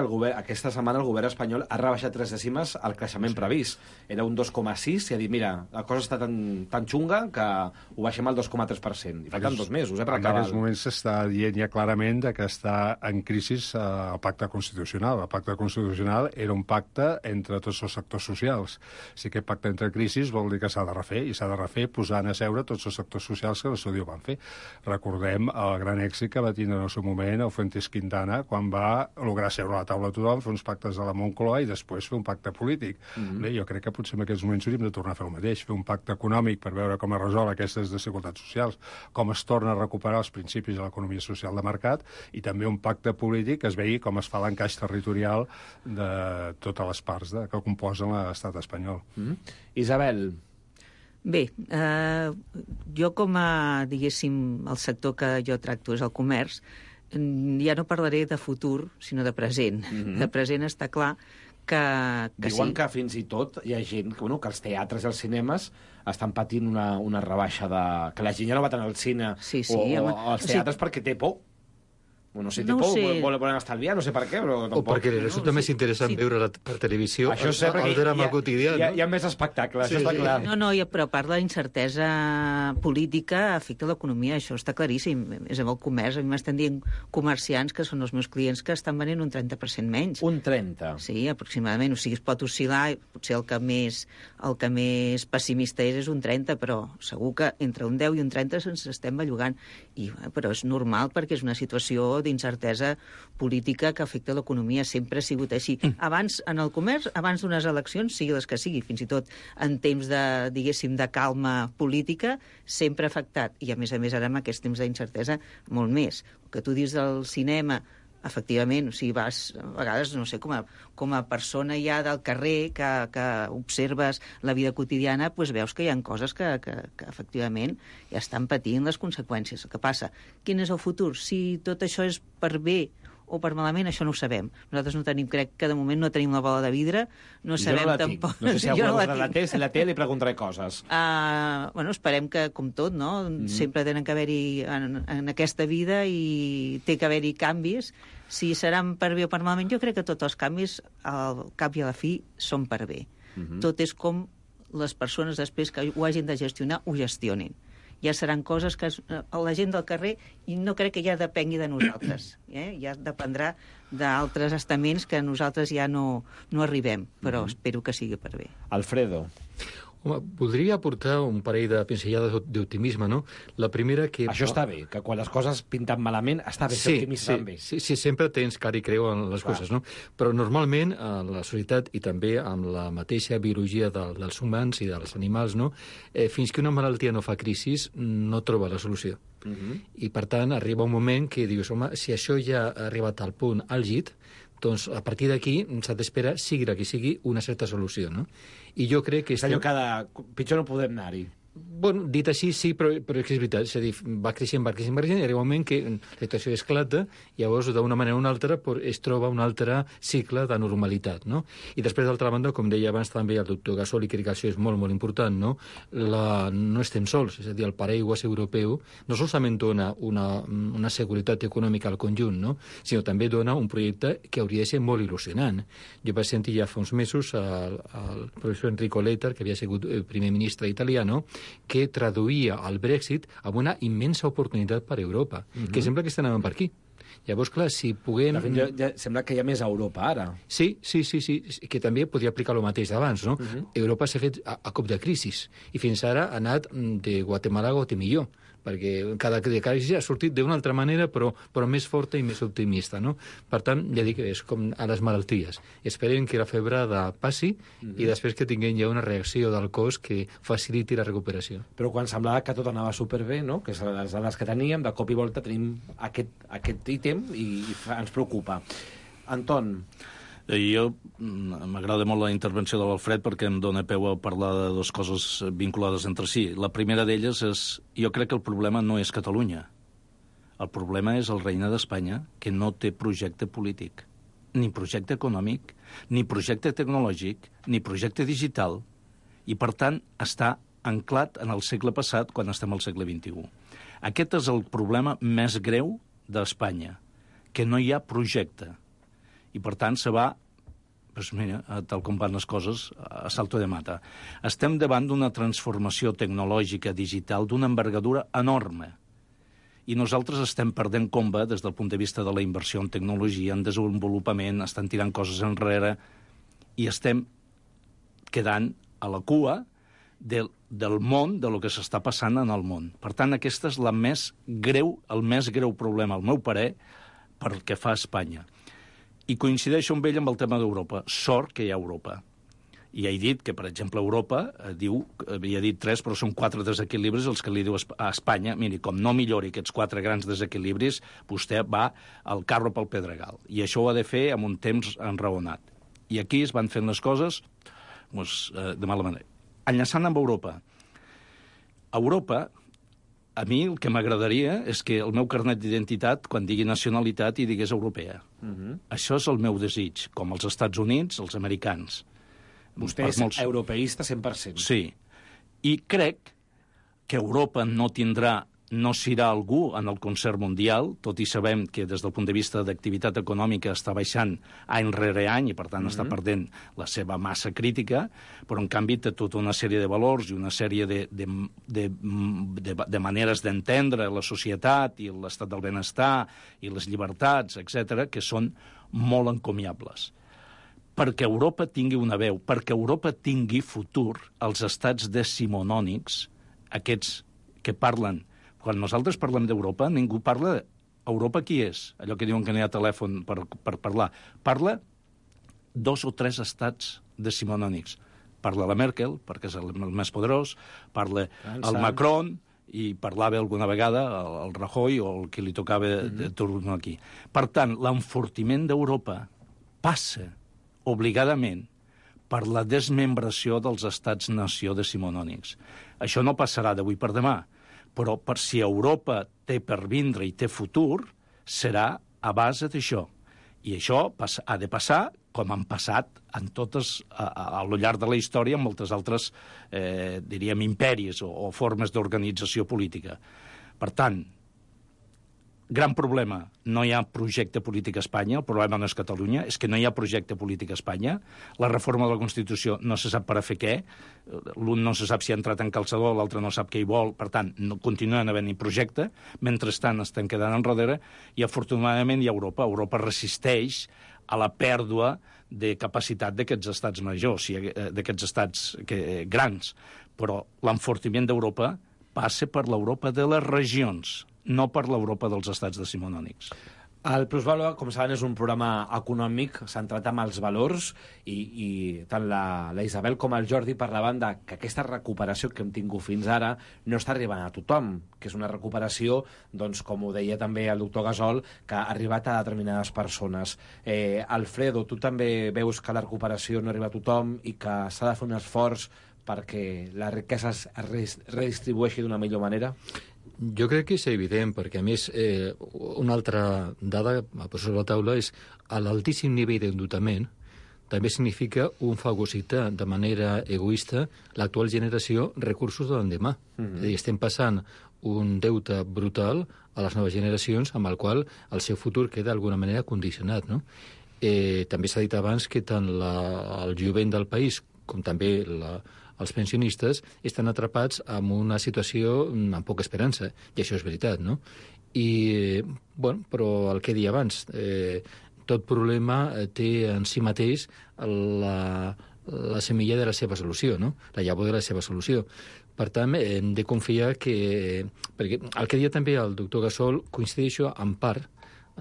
setmana el govern espanyol ha rebaixat 3 dècimes el creixement previst. Era un 2,6 i ha dit, mira, la cosa està tan xunga que ho baixem al 2,3%. I falten 2 mesos, per acabar. En aquests moments s'està dient ja clarament que està en crisi el pacte constitucional. El pacte constitucional era un pacte entre tots els sectors socials. Si aquest pacte entra en crisi vol dir que s'ha de refer, i s'ha de refer posant a seure tots els sectors socials que la SODIO van fer. Recordem el gran èxit que va tindre en el seu moment el Fuentes Quintana quan va lograr seure a la taula a tothom, fer uns pactes de la Moncloa i després fer un pacte polític. Bé, jo crec que potser en aquests moments hauríem de tornar a fer el mateix, fer un pacte econòmic per veure com es resol aquestes desigualtats socials, com es torna a recuperar els principis de l'economia social de mercat, i també un pacte polític que es vegi com es fa l'encaix territorial de totes les parts que composen l'estat espanyol. Isabel. Bé, jo com a, diguéssim, el sector que jo tracto és el comerç, ja no parlaré de futur, sinó de present. De present està clar que diuen que fins i tot hi ha gent que els teatres i els cinemes estan patint una rebaixa que la gent ja no va tant al cine o als teatres perquè té por. No sé, no volen estalviar, no sé per què, però tampoc... O perquè resulta més interessant veure per televisió el drama quotidià. Hi ha més espectacle, això està clar. No, però a part de la incertesa política afecta l'economia, això està claríssim. És amb el comerç, a mi m'estan dient comerciants, que són els meus clients, que estan venent un 30% menys. Un 30%? Sí, aproximadament. O sigui, es pot oscil·lar, potser el que més pessimista és un 30%, però segur que entre un 10 i un 30% se'ns estem bellugant. Però és normal perquè és una situació d'incertesa política que afecta l'economia. Sempre ha sigut així. Abans, en el comerç, abans d'unes eleccions, sigui les que sigui, fins i tot en temps de, diguéssim, de calma política, sempre ha afectat. I, a més, ara amb aquests temps d'incertesa, molt més. El que tu dius del cinema, efectivament, o sigui, vas, a vegades, no sé, com a persona ja del carrer que observes la vida quotidiana, doncs veus que hi ha coses que efectivament ja estan patint les conseqüències. El que passa, quin és el futur? Si tot això és per bé o per malament, això no ho sabem. Nosaltres no tenim, crec que de moment no tenim la bola de vidre, no sabem tampoc... No sé si algú la té, li preguntaré coses. Esperem que, com tot, no? Sempre tenen que haver-hi en aquesta vida i té que haver-hi canvis. Si seran per bé o per malament, jo crec que tots els canvis, al cap i a la fi, són per bé. Tot és com les persones després que ho hagin de gestionar, ho gestionin. Ja seran coses que la gent del carrer, i no crec que ja depengui de nosaltres. Ja dependrà d'altres estaments que nosaltres ja no arribem, però espero que sigui per bé. Alfredo. Home, voldria aportar un parell de pinzellades d'optimisme, no? La primera que... Això està bé, que quan les coses pinten malament està bé ser optimista amb ells. Sí, sempre tens cara i creu en les coses, no? Però normalment la societat i també amb la mateixa biologia dels humans i dels animals, no? Fins que una malaltia no fa crisi, no troba la solució. I per tant arriba un moment que dius, home, si això ja ha arribat al punt àlgid, doncs a partir d'aquí s'ha d'esperar, sigui la que sigui, una certa solució, no? I jo crec que... És allò que pitjor no podem anar-hi. Bueno, dit així, sí, però és que és veritat. És a dir, va creixent, i arriba un moment que la situació esclata i llavors, d'una manera o una altra, es troba un altre cicle de normalitat, no? I després, d'altra banda, com deia abans també el doctor Gasol, i crec que això és molt, molt important, no? No estem sols, és a dir, el paraigües europeu no solament dona una seguretat econòmica al conjunt, no? Sinó també dona un projecte que hauria de ser molt il·lusionant. Jo vaig sentir ja fa uns mesos el professor Enrico Letta, que havia sigut primer ministre italià, no?, que traduïa el Brexit amb una immensa oportunitat per a Europa, que sembla que estan anant per aquí. Llavors, clar, si puguem... Ja sembla que hi ha més a Europa, ara. Sí, que també podria aplicar el mateix d'abans, no? Europa s'ha fet a cop de crisi, i fins ara ha anat de Guatemala a Guatemilló, perquè cada crisi ha sortit d'una altra manera, però més forta i més optimista, no? Per tant, ja dic, és com a les malalties. Esperem que la febrada passi i després que tinguem ja una reacció del cos que faciliti la recuperació. Però quan semblava que tot anava superbé, no?, que és les dades que teníem, de cop i volta tenim aquest ítem i ens preocupa. Anton... Jo m'agrada molt la intervenció de l'Alfred perquè em dona peu a parlar de dues coses vinculades entre si. La primera d'elles és... Jo crec que el problema no és Catalunya. El problema és el Regne d'Espanya, que no té projecte polític, ni projecte econòmic, ni projecte tecnològic, ni projecte digital, i, per tant, està anclat en el segle passat quan estem al segle XXI. Aquest és el problema més greu d'Espanya, que no hi ha projecte. I, per tant, se va, doncs mira, tal com van les coses, a salto de mata. Estem davant d'una transformació tecnològica digital d'una envergadura enorme. I nosaltres estem perdent comba des del punt de vista de la inversió en tecnologia, en desenvolupament, estan tirant coses enrere, i estem quedant a la cua del món, de lo que s'està passant en el món. Per tant, aquest és el més greu problema, al meu parer, pel que fa a Espanya. I coincideixo amb ell amb el tema d'Europa. Sort que hi ha Europa. I he dit que, per exemple, Europa havia dit 3, però són 4 desequilibris els que li diu a Espanya. Miri, com no millori aquests 4 grans desequilibris, vostè va al carro pel pedregal. I això ho ha de fer amb un temps enraonat. I aquí es van fent les coses de mala manera. Enllaçant amb Europa. Europa... A mi el que m'agradaria és que el meu carnet d'identitat, quan digui nacionalitat, hi digués europea. Això és el meu desig, com els Estats Units, els americans. Vostè és europeista 100%. Sí. I crec que Europa no serà algú en el concert mundial, tot i sabem que des del punt de vista d'activitat econòmica està baixant any rere any i, per tant, està perdent la seva massa crítica, però, en canvi, té tota una sèrie de valors i una sèrie de maneres d'entendre la societat i l'estat del benestar i les llibertats, etc., que són molt encomiables. Perquè Europa tingui una veu, perquè Europa tingui futur, els estats decimonònics, aquests que parlen... Quan nosaltres parlem d'Europa, ningú parla d'Europa qui és, allò que diuen que no hi ha telèfon per parlar. Parla 2 o 3 estats decimonònics. Parla la Merkel, perquè és el més poderós, parla el Macron, i parlava alguna vegada el Rajoy o el que li tocava de tornar aquí. Per tant, l'enfortiment d'Europa passa obligadament per la desmembració dels estats-nació decimonònics. Això no passarà d'avui per demà, però per si Europa té per vindre i té futur, serà a base d'això. I això ha de passar, com han passat en totes, a lo llarg de la història, en moltes altres, diríem, imperis o formes d'organització política. Per tant, gran problema, no hi ha projecte polític a Espanya, el problema no és Catalunya, és que no hi ha projecte polític a Espanya, la reforma de la Constitució no se sap per a fer què, l'un no se sap si ha entrat en calçador, l'altre no sap què hi vol, per tant, no continuen havent-hi projecte, mentrestant estem quedant enrere, i afortunadament hi ha Europa. Europa resisteix a la pèrdua de capacitat d'aquests estats majors, d'aquests estats grans, però l'enfortiment d'Europa passa per l'Europa de les regions, no per l'Europa dels estats decimonònics. El Plusvàlua, com saben, és un programa econòmic centrat en els valors i tant la Isabel com el Jordi parlaven que aquesta recuperació que hem tingut fins ara no està arribant a tothom, que és una recuperació, doncs, com ho deia també el doctor Gasol, que ha arribat a determinades persones. Alfredo, tu també veus que la recuperació no arriba a tothom i que s'ha de fer un esforç perquè la riquesa es redistribueixi d'una millor manera? Jo crec que és evident, perquè a més una altra dada a posar sobre la taula és l'altíssim nivell d'endeutament també significa un fagocitar de manera egoista l'actual generació recursos de l'endemà. És a dir, estem passant un deute brutal a les noves generacions amb el qual el seu futur queda d'alguna manera condicionat, no? També s'ha dit abans que tant el jovent del país com també els pensionistes estan atrapats en una situació amb poca esperança, i això és veritat, no? Bueno, però el que he dit abans, tot problema té en si mateix la semilla de la seva solució, no? La llavor de la seva solució. Per tant, hem de confiar que... Perquè el que deia també el doctor Gasol coincideixo en part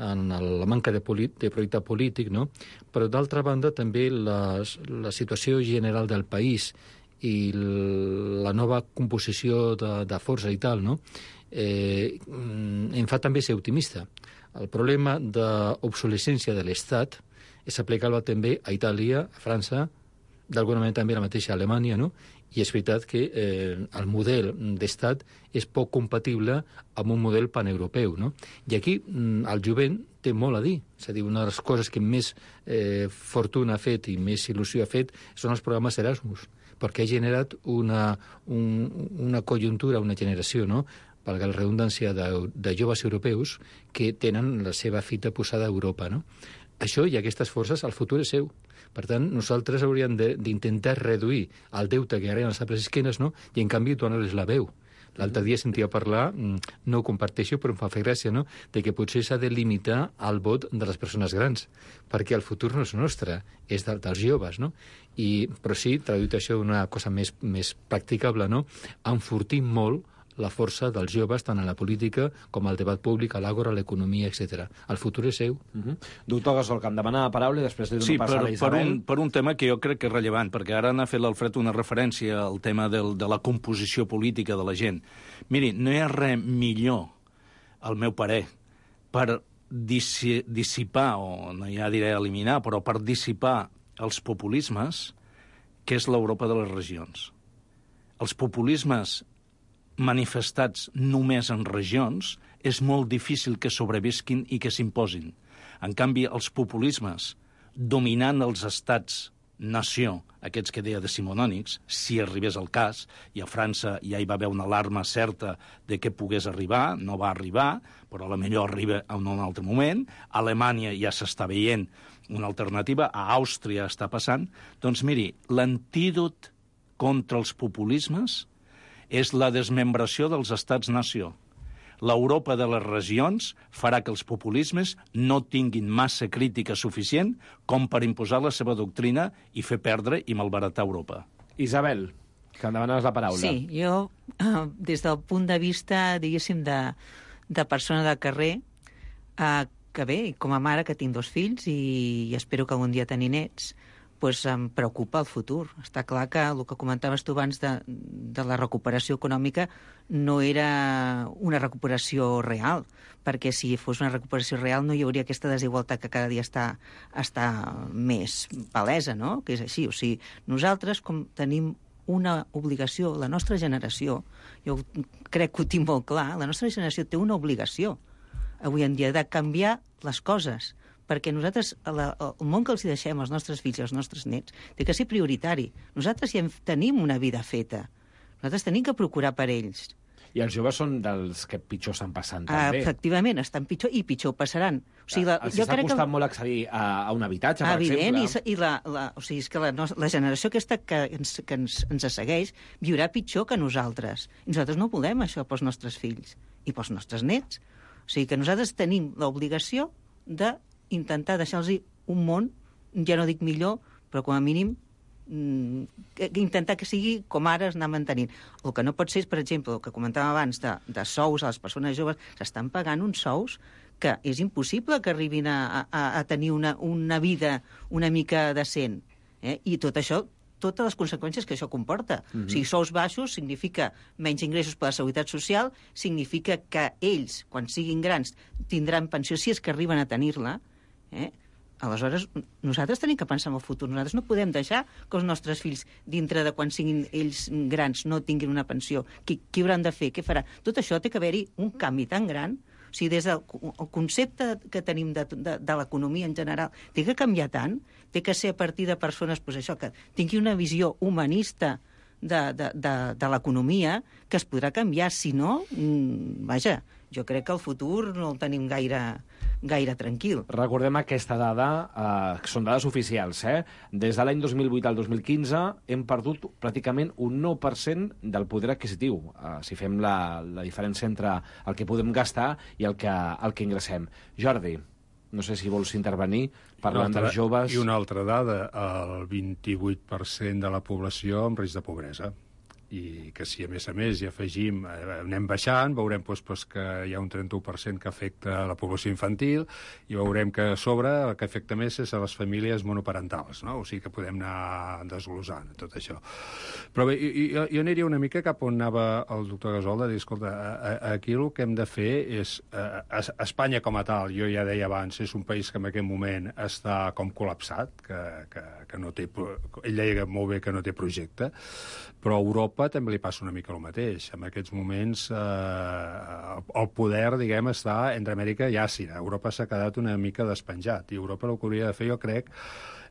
en la manca de projecte polític, no? Però d'altra banda també la situació general del país i la nova composició de força i tal, no? Em fa també ser optimista. El problema d'obsolescència de l'Estat és aplicable també a Itàlia, a França, d'alguna manera també a la mateixa Alemanya, no? I és veritat que el model d'estat és poc compatible amb un model paneuropeu, no? I aquí el jovent té molt a dir. És a dir, una de les coses que més fortuna ha fet i més il·lusió ha fet són els programes Erasmus, perquè ha generat una conjuntura, una generació, no?, valga la redundància, de joves europeus que tenen la seva fita posada a Europa, no? Això i aquestes forces, el futur és seu. Per tant, nosaltres hauríem d'intentar reduir el deute que ara hi ha a les altres esquenes, no? I, en canvi, donar-les la veu. L'altre dia sentia parlar, no ho comparteixo, però em fa fer gràcia, no?, de que potser s'ha de limitar el vot de les persones grans, perquè el futur no és nostre, és dels joves, no? Però sí, traduït això d'una cosa més practicable, no?, enfortir molt la força dels joves, tant en la política com al debat públic, a l'àgora, a l'economia, etc. El futur és seu. Doctor Gasol, que em demana la paraula i després li dono pas a la Isabel. Per un tema que jo crec que és rellevant, perquè ara n'ha fet l'Alfred una referència al tema de la composició política de la gent. Miri, no hi ha res millor, al meu parer, per dissipar, o no ja diré eliminar, però per dissipar els populismes, que és l'Europa de les regions. Els populismes manifestats només en regions, és molt difícil que sobrevisquin i que s'imposin. En canvi, els populismes dominant els estats-nació, aquests que deia decimonònics, si arribés el cas, i a França ja hi va haver una alarma certa de que pogués arribar, no va arribar, però potser arriba en un altre moment, a Alemanya ja s'està veient una alternativa, a Àustria està passant, doncs miri, l'antídot contra els populismes és la desmembració dels estats-nació. L'Europa de les regions farà que els populismes no tinguin massa crítica suficient com per imposar la seva doctrina i fer perdre i malbaratar Europa. Isabel, que em demanes la paraula. Sí, jo, des del punt de vista, diguéssim, de persona de carrer, que bé, com a mare que tinc 2 fills i espero que algun dia tenir nets, doncs em preocupa el futur. Està clar que el que comentaves tu abans de la recuperació econòmica no era una recuperació real, perquè si fos una recuperació real no hi hauria aquesta desigualtat que cada dia està més palesa, no?, que és així. O sigui, nosaltres, com tenim una obligació, la nostra generació, jo crec que ho tinc molt clar, la nostra generació té una obligació avui en dia de canviar les coses, perquè nosaltres, el món que els deixem als nostres fills i als nostres nets, té que ser prioritari. Nosaltres ja tenim una vida feta. Nosaltres tenim que procurar per ells. I els joves són dels que pitjor estan passant, també. Efectivament, estan pitjor i pitjor passaran. O sigui, els està costant molt accedir a un habitatge, per exemple. Evident, o sigui, és que la generació aquesta que ens segueix viurà pitjor que nosaltres. I nosaltres no volem això pels nostres fills i pels nostres nets. O sigui, que nosaltres tenim l'obligació d'intentar deixar-los un món, ja no dic millor, però com a mínim intentar que sigui com ara es anar mantenint. El que no pot ser és, per exemple, el que comentàvem abans de sous a les persones joves, s'estan pagant uns sous que és impossible que arribin a tenir una vida una mica decent. I tot això, totes les conseqüències que això comporta. O sigui, sous baixos significa menys ingressos per la seguretat social, significa que ells, quan siguin grans, tindran pensió, si és que arriben a tenir-la, Aleshores, nosaltres tenim que pensar en el futur. Nosaltres no podem deixar que els nostres fills, dintre de quan siguin ells grans, no tinguin una pensió. Què hauran de fer? Què farà? Tot això té que haver-hi un canvi tan gran. O sigui, des del concepte que tenim de l'economia en general té que canviar tant, té que ser a partir de persones, doncs això, que tinguin una visió humanista de l'economia, que es podrà canviar. Si no, vaja, jo crec que el futur no el tenim gaire tranquil. Recordem aquesta dada, que són dades oficials, Des de l'any 2008 al 2015 hem perdut pràcticament un 9% del poder adquisitiu, si fem la diferència entre el que podem gastar i el que ingressem. Jordi, no sé si vols intervenir parlant dels joves. I una altra dada, el 28% de la població en risc de pobresa. I que si a més hi afegim, anem baixant, veurem que hi ha un 31% que afecta la població infantil i veurem que a sobre el que afecta més és a les famílies monoparentals, no? O sigui que podem anar desglosant tot això. Però bé, jo aniria una mica cap on anava el doctor Gasol, de dir, escolta, aquí el que hem de fer és... Espanya com a tal, jo ja deia abans, és un país que en aquest moment està com col·lapsat, que no té... Ell deia molt bé que no té projecte, però a Europa també li passa una mica el mateix. En aquests moments el poder, diguem, està entre Amèrica i Àsia. Europa s'ha quedat una mica despenjat i Europa el que hauria de fer, jo crec,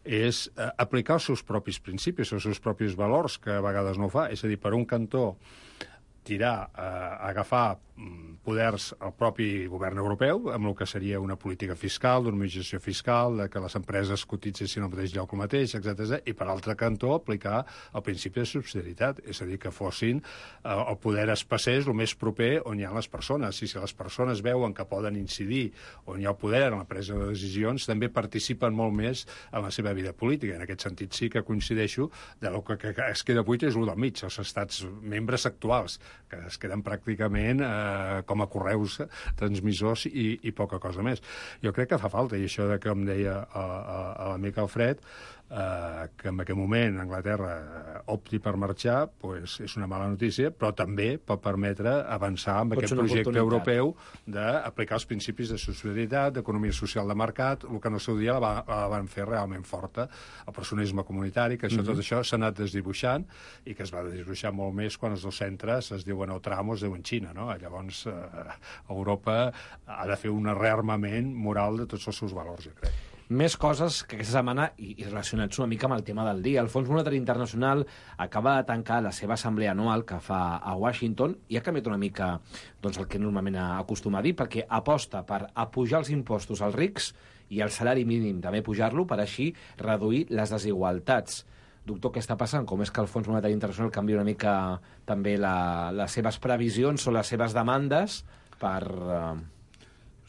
és aplicar els seus propis principis, els seus propis valors, que a vegades no ho fa. És a dir, per un cantó, agafar poders al propi govern europeu, amb el que seria una política fiscal, d'harmonització fiscal, de que les empreses cotitzessin al mateix lloc el mateix, etc. I per altre cantó aplicar el principi de subsidiarietat, és a dir, que fossin el poder es passés el més proper on hi ha les persones. I si les persones veuen que poden incidir on hi ha el poder en la presa de decisions, també participen molt més en la seva vida política. En aquest sentit sí que coincideixo de lo que es queda buit és el del mig, els estats membres actuals, que es queden pràcticament com a correus transmissors i poca cosa més. Jo crec que fa falta, i això que em deia l'amic Alfred, que en aquest moment Anglaterra opti per marxar, pues és una mala notícia, però també pot permetre avançar amb aquest projecte europeu d'aplicar els principis de subsidiarietat, d'economia social de mercat, el que en el seu dia la van fer realment forta, el personalisme comunitari, que tot això s'ha anat desdibuixant i que es va desdibuixar molt més quan els dos centres es diuen Outramo, es diuen Xina, no? Llavors Europa ha de fer un rearmament moral de tots els seus valors, jo crec. Més coses que aquesta setmana, i relacionats una mica amb el tema del dia. El Fons Monetari Internacional acaba de tancar la seva assemblea anual que fa a Washington i ha canviat una mica el que normalment acostuma a dir, perquè aposta per apujar els impostos als rics i el salari mínim també pujar-lo per així reduir les desigualtats. Doctor, què està passant? Com és que el Fons Monetari Internacional canvia una mica també les seves previsions o les seves demandes per...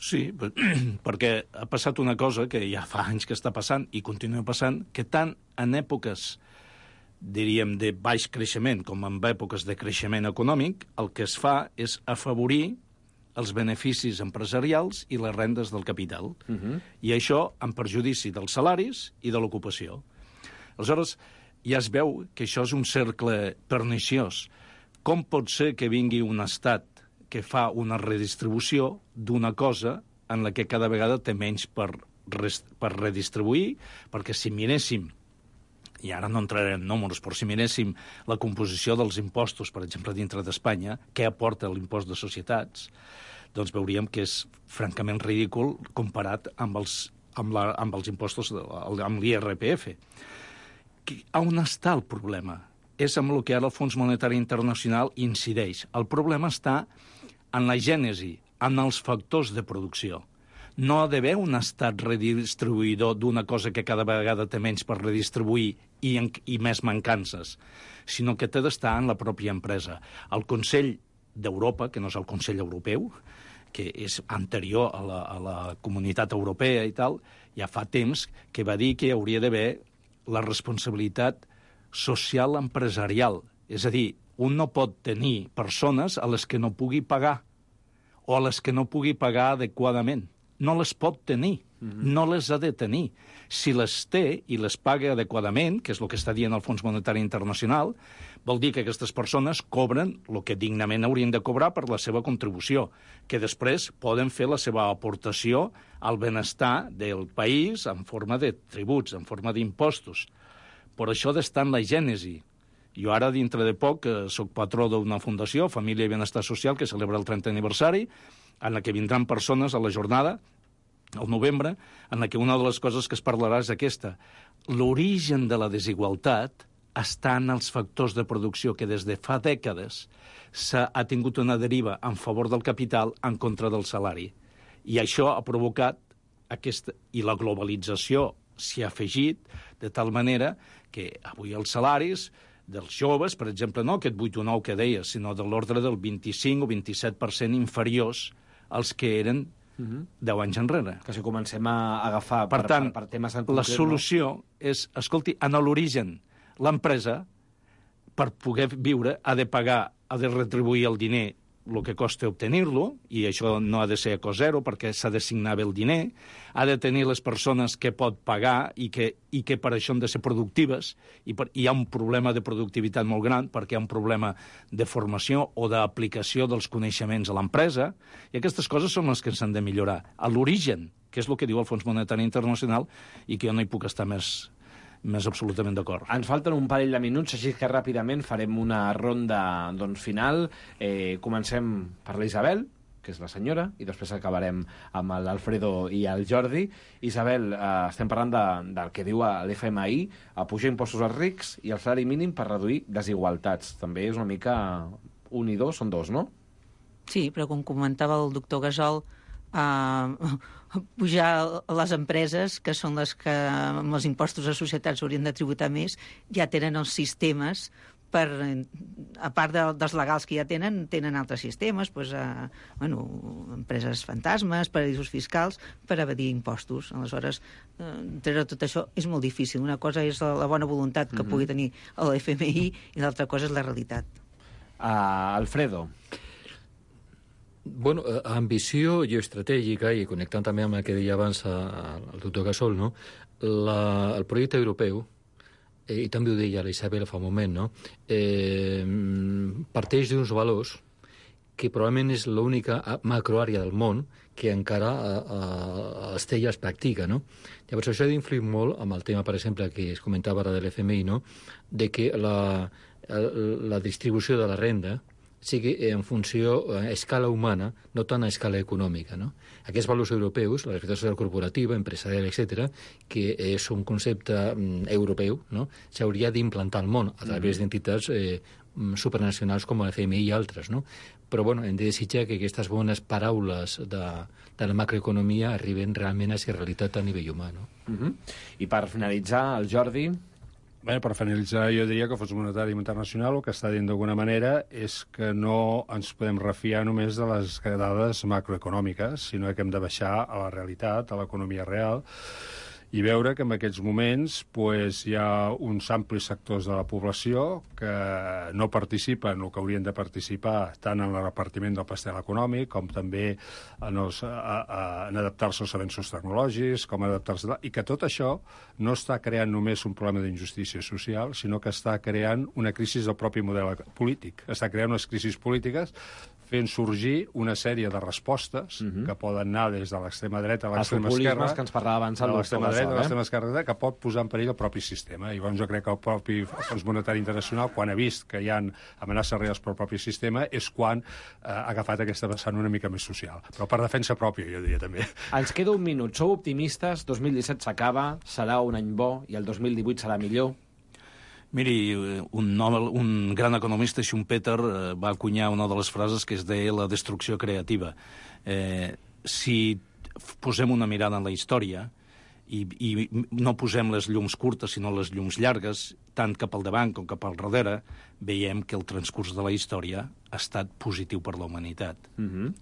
Sí, perquè ha passat una cosa que ja fa anys que està passant i continua passant, que tant en èpoques, diríem, de baix creixement com en èpoques de creixement econòmic, el que es fa és afavorir els beneficis empresarials i les rendes del capital. I això en perjudici dels salaris i de l'ocupació. Aleshores, ja es veu que això és un cercle perniciós. Com pot ser que vingui un estat que fa una redistribució d'una cosa en la que cada vegada té menys per redistribuir, perquè si miréssim, i ara no entraré en números, però si miréssim la composició dels impostos, per exemple, dintre d'Espanya, què aporta l'impost de societats, doncs veuríem que és francament ridícul comparat amb els impostos, amb l'IRPF. On està el problema? És amb el que ara el Fons Monetari Internacional incideix. El problema està en la gènesi, en els factors de producció. No ha d'haver un estat redistribuïdor d'una cosa que cada vegada té menys per redistribuir i més mancances, sinó que té d'estar en la pròpia empresa. El Consell d'Europa, que no és el Consell Europeu, que és anterior a la Comunitat Europea i tal, ja fa temps que va dir que hi hauria d'haver la responsabilitat social empresarial. És a dir, un no pot tenir persones a les que no pugui pagar o a les que no pugui pagar adequadament. no les pot tenir, no les ha de tenir. Si les té i les paga adequadament, que és el que està dient el Fons Monetari Internacional, vol dir que aquestes persones cobren el que dignament haurien de cobrar per la seva contribució, que després poden fer la seva aportació al benestar del país en forma de tributs, en forma d'impostos. Per això d'estar en la gènesi. Jo ara, dintre de poc, soc patró d'una fundació, Família i Benestar Social, que celebra el 30è aniversari, en la que vindran persones a la jornada, al novembre, en la que una de les coses que es parlarà és aquesta. L'origen de la desigualtat està en els factors de producció que des de fa dècades ha tingut una deriva en favor del capital en contra del salari. I això ha provocat i la globalització s'hi ha afegit de tal manera que avui els salaris dels joves, per exemple, no aquest 8 o 9 que deia, sinó de l'ordre del 25 o 27% inferiors als que eren 10 anys enrere. Que si comencem a agafar per tant, per temes en concret, la solució és, escolti, en l'origen, l'empresa, per poder viure, ha de pagar, ha de retribuir el diner el que costa obtenir-lo, i això no ha de ser a cost zero perquè s'ha d'assignar bé el diner, ha de tenir les persones que pot pagar i que per això han de ser productives, i hi ha un problema de productivitat molt gran perquè hi ha un problema de formació o d'aplicació dels coneixements a l'empresa, i aquestes coses són les que s'han de millorar. A l'origen, que és el que diu el Fons Monetari Internacional, i que jo no hi puc estar més absolutament d'acord. Ens falten un parell de minuts, així que ràpidament farem una ronda final. Comencem per la Isabel, que és la senyora, i després acabarem amb l'Alfredo i el Jordi. Isabel, estem parlant del que diu l'FMI, a pujar impostos als rics i el salari mínim per reduir desigualtats. També és una mica un i dos, són dos, no? Sí, però com comentava el doctor Gasol, pujar les empreses, que són les que amb els impostos a societats haurien de tributar més, ja tenen els sistemes per, a part dels legals que ja tenen altres sistemes, empreses fantasmes, paradisos fiscals, per evadir impostos. Aleshores, treure tot això és molt difícil. Una cosa és la bona voluntat que pugui tenir l'FMI i l'altra cosa és la realitat. Alfredo. Bueno, ambició geoestratègica, i connectant també amb el que deia abans el doctor Gasol, no? El projecte europeu, i també ho deia la Isabel fa un moment, no? Parteix d'uns valors que probablement és l'única macroàrea del món que encara es té i es practica, no? Llavors, això ha d'influir molt amb el tema, per exemple, que es comentava ara de l'FMI, no? De que la distribució de la renda sigui en funció a escala humana, no tant a escala econòmica, no? Aquests valors europeus, la responsabilitat social corporativa, empresarial, etc., que és un concepte europeu, no? S'hauria d'implantar al món a través d'entitats supranacionals com l'FMI i altres, no? Però, bueno, hem de desitjar que aquestes bones paraules de la macroeconomia arriben realment a ser realitat a nivell humà, no? I per finalitzar, el Jordi... Bé, per finalitzar, jo diria que el Fons Monetari Internacional el que està dient d'alguna manera és que no ens podem refiar només de les dades macroeconòmiques, sinó que hem de baixar a la realitat, a l'economia real, i veure que en aquests moments hi ha uns amplis sectors de la població que no participen el que haurien de participar tant en el repartiment del pastel econòmic com també en adaptar-se als avenços tecnològics, com adaptar-se... I que tot això no està creant només un problema d'injustícia social, sinó que està creant una crisi del propi model polític. Està creant unes crisis polítiques fent sorgir una sèrie de respostes que poden anar des de l'extrema dreta a l'extrema esquerra, que ens parlava abans el doctor Gasol, a l'extrema esquerra, que pot posar en perill el propi sistema. I llavors jo crec que el propi Fons Monetari Internacional, quan ha vist que hi ha amenaces reals pel propi sistema, és quan ha agafat aquesta vessant una mica més social. Però per defensa pròpia, jo diria també. Ens queda un minut. Sou optimistes? 2017 s'acaba, serà un any bo i el 2018 serà millor? Miri, un gran economista, Schumpeter, va acunyar una de les frases que es deia la destrucció creativa. Si posem una mirada en la història i no posem les llums curtes, sinó les llums llargues, tant cap al davant com cap al darrere, veiem que el transcurs de la història ha estat positiu per la humanitat.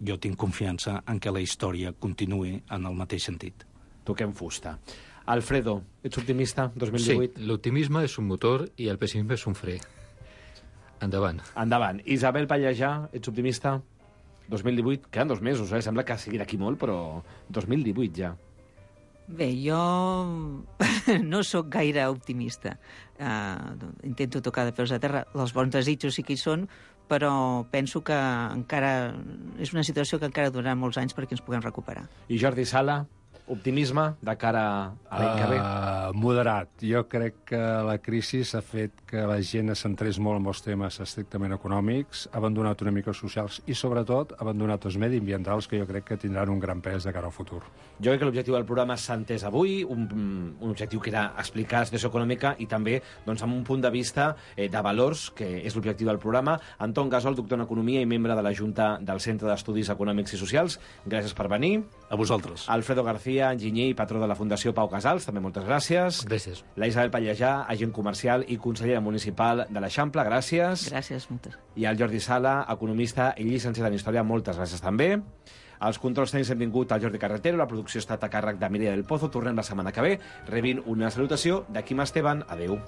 Jo tinc confiança en que la història continuï en el mateix sentit. Toquem fusta. Alfredo, ets optimista 2018? Sí, l'optimisme és un motor i el pessimisme és un fre. Endavant. Endavant. Isabel Pallejà, ets optimista? 2018, queden 2 mesos, Sembla que sigui d'aquí molt, però 2018 ja. Bé, jo no sóc gaire optimista. Intento tocar de peus a terra. Els bons desitjos sí que hi són, però penso que encara és una situació que encara durarà molts anys perquè ens puguem recuperar. I Jordi Sala, optimisme de cara a l'any que ve? Moderat. Jo crec que la crisi ha fet que la gent es centrés molt en els temes estrictament econòmics, ha abandonat una mica els socials i, sobretot, ha abandonat els mediambientals, que jo crec que tindran un gran pes de cara al futur. Jo crec que l'objectiu del programa s'ha entès avui, un objectiu que era explicar la situació econòmica i també doncs, amb un punt de vista de valors, que és l'objectiu del programa. Anton Gasol, doctor en Economia i membre de la Junta del Centre d'Estudis Econòmics i Socials, gràcies per venir. A vosaltres. Alfredo García, enginyer i patró de la Fundació Pau Casals, també moltes gràcies. Gràcies. La Isabel Pallejà, agent comercial i consellera municipal de l'Eixample, gràcies. Gràcies, moltes. I el Jordi Sala, economista i llicenciat en Història, moltes gràcies també. Els controls tècnics hem tingut el Jordi Carretero, la producció ha estat a càrrec de Mireia del Pozo. Tornem la setmana que ve, rebint una salutació de Quim Esteban. Adéu.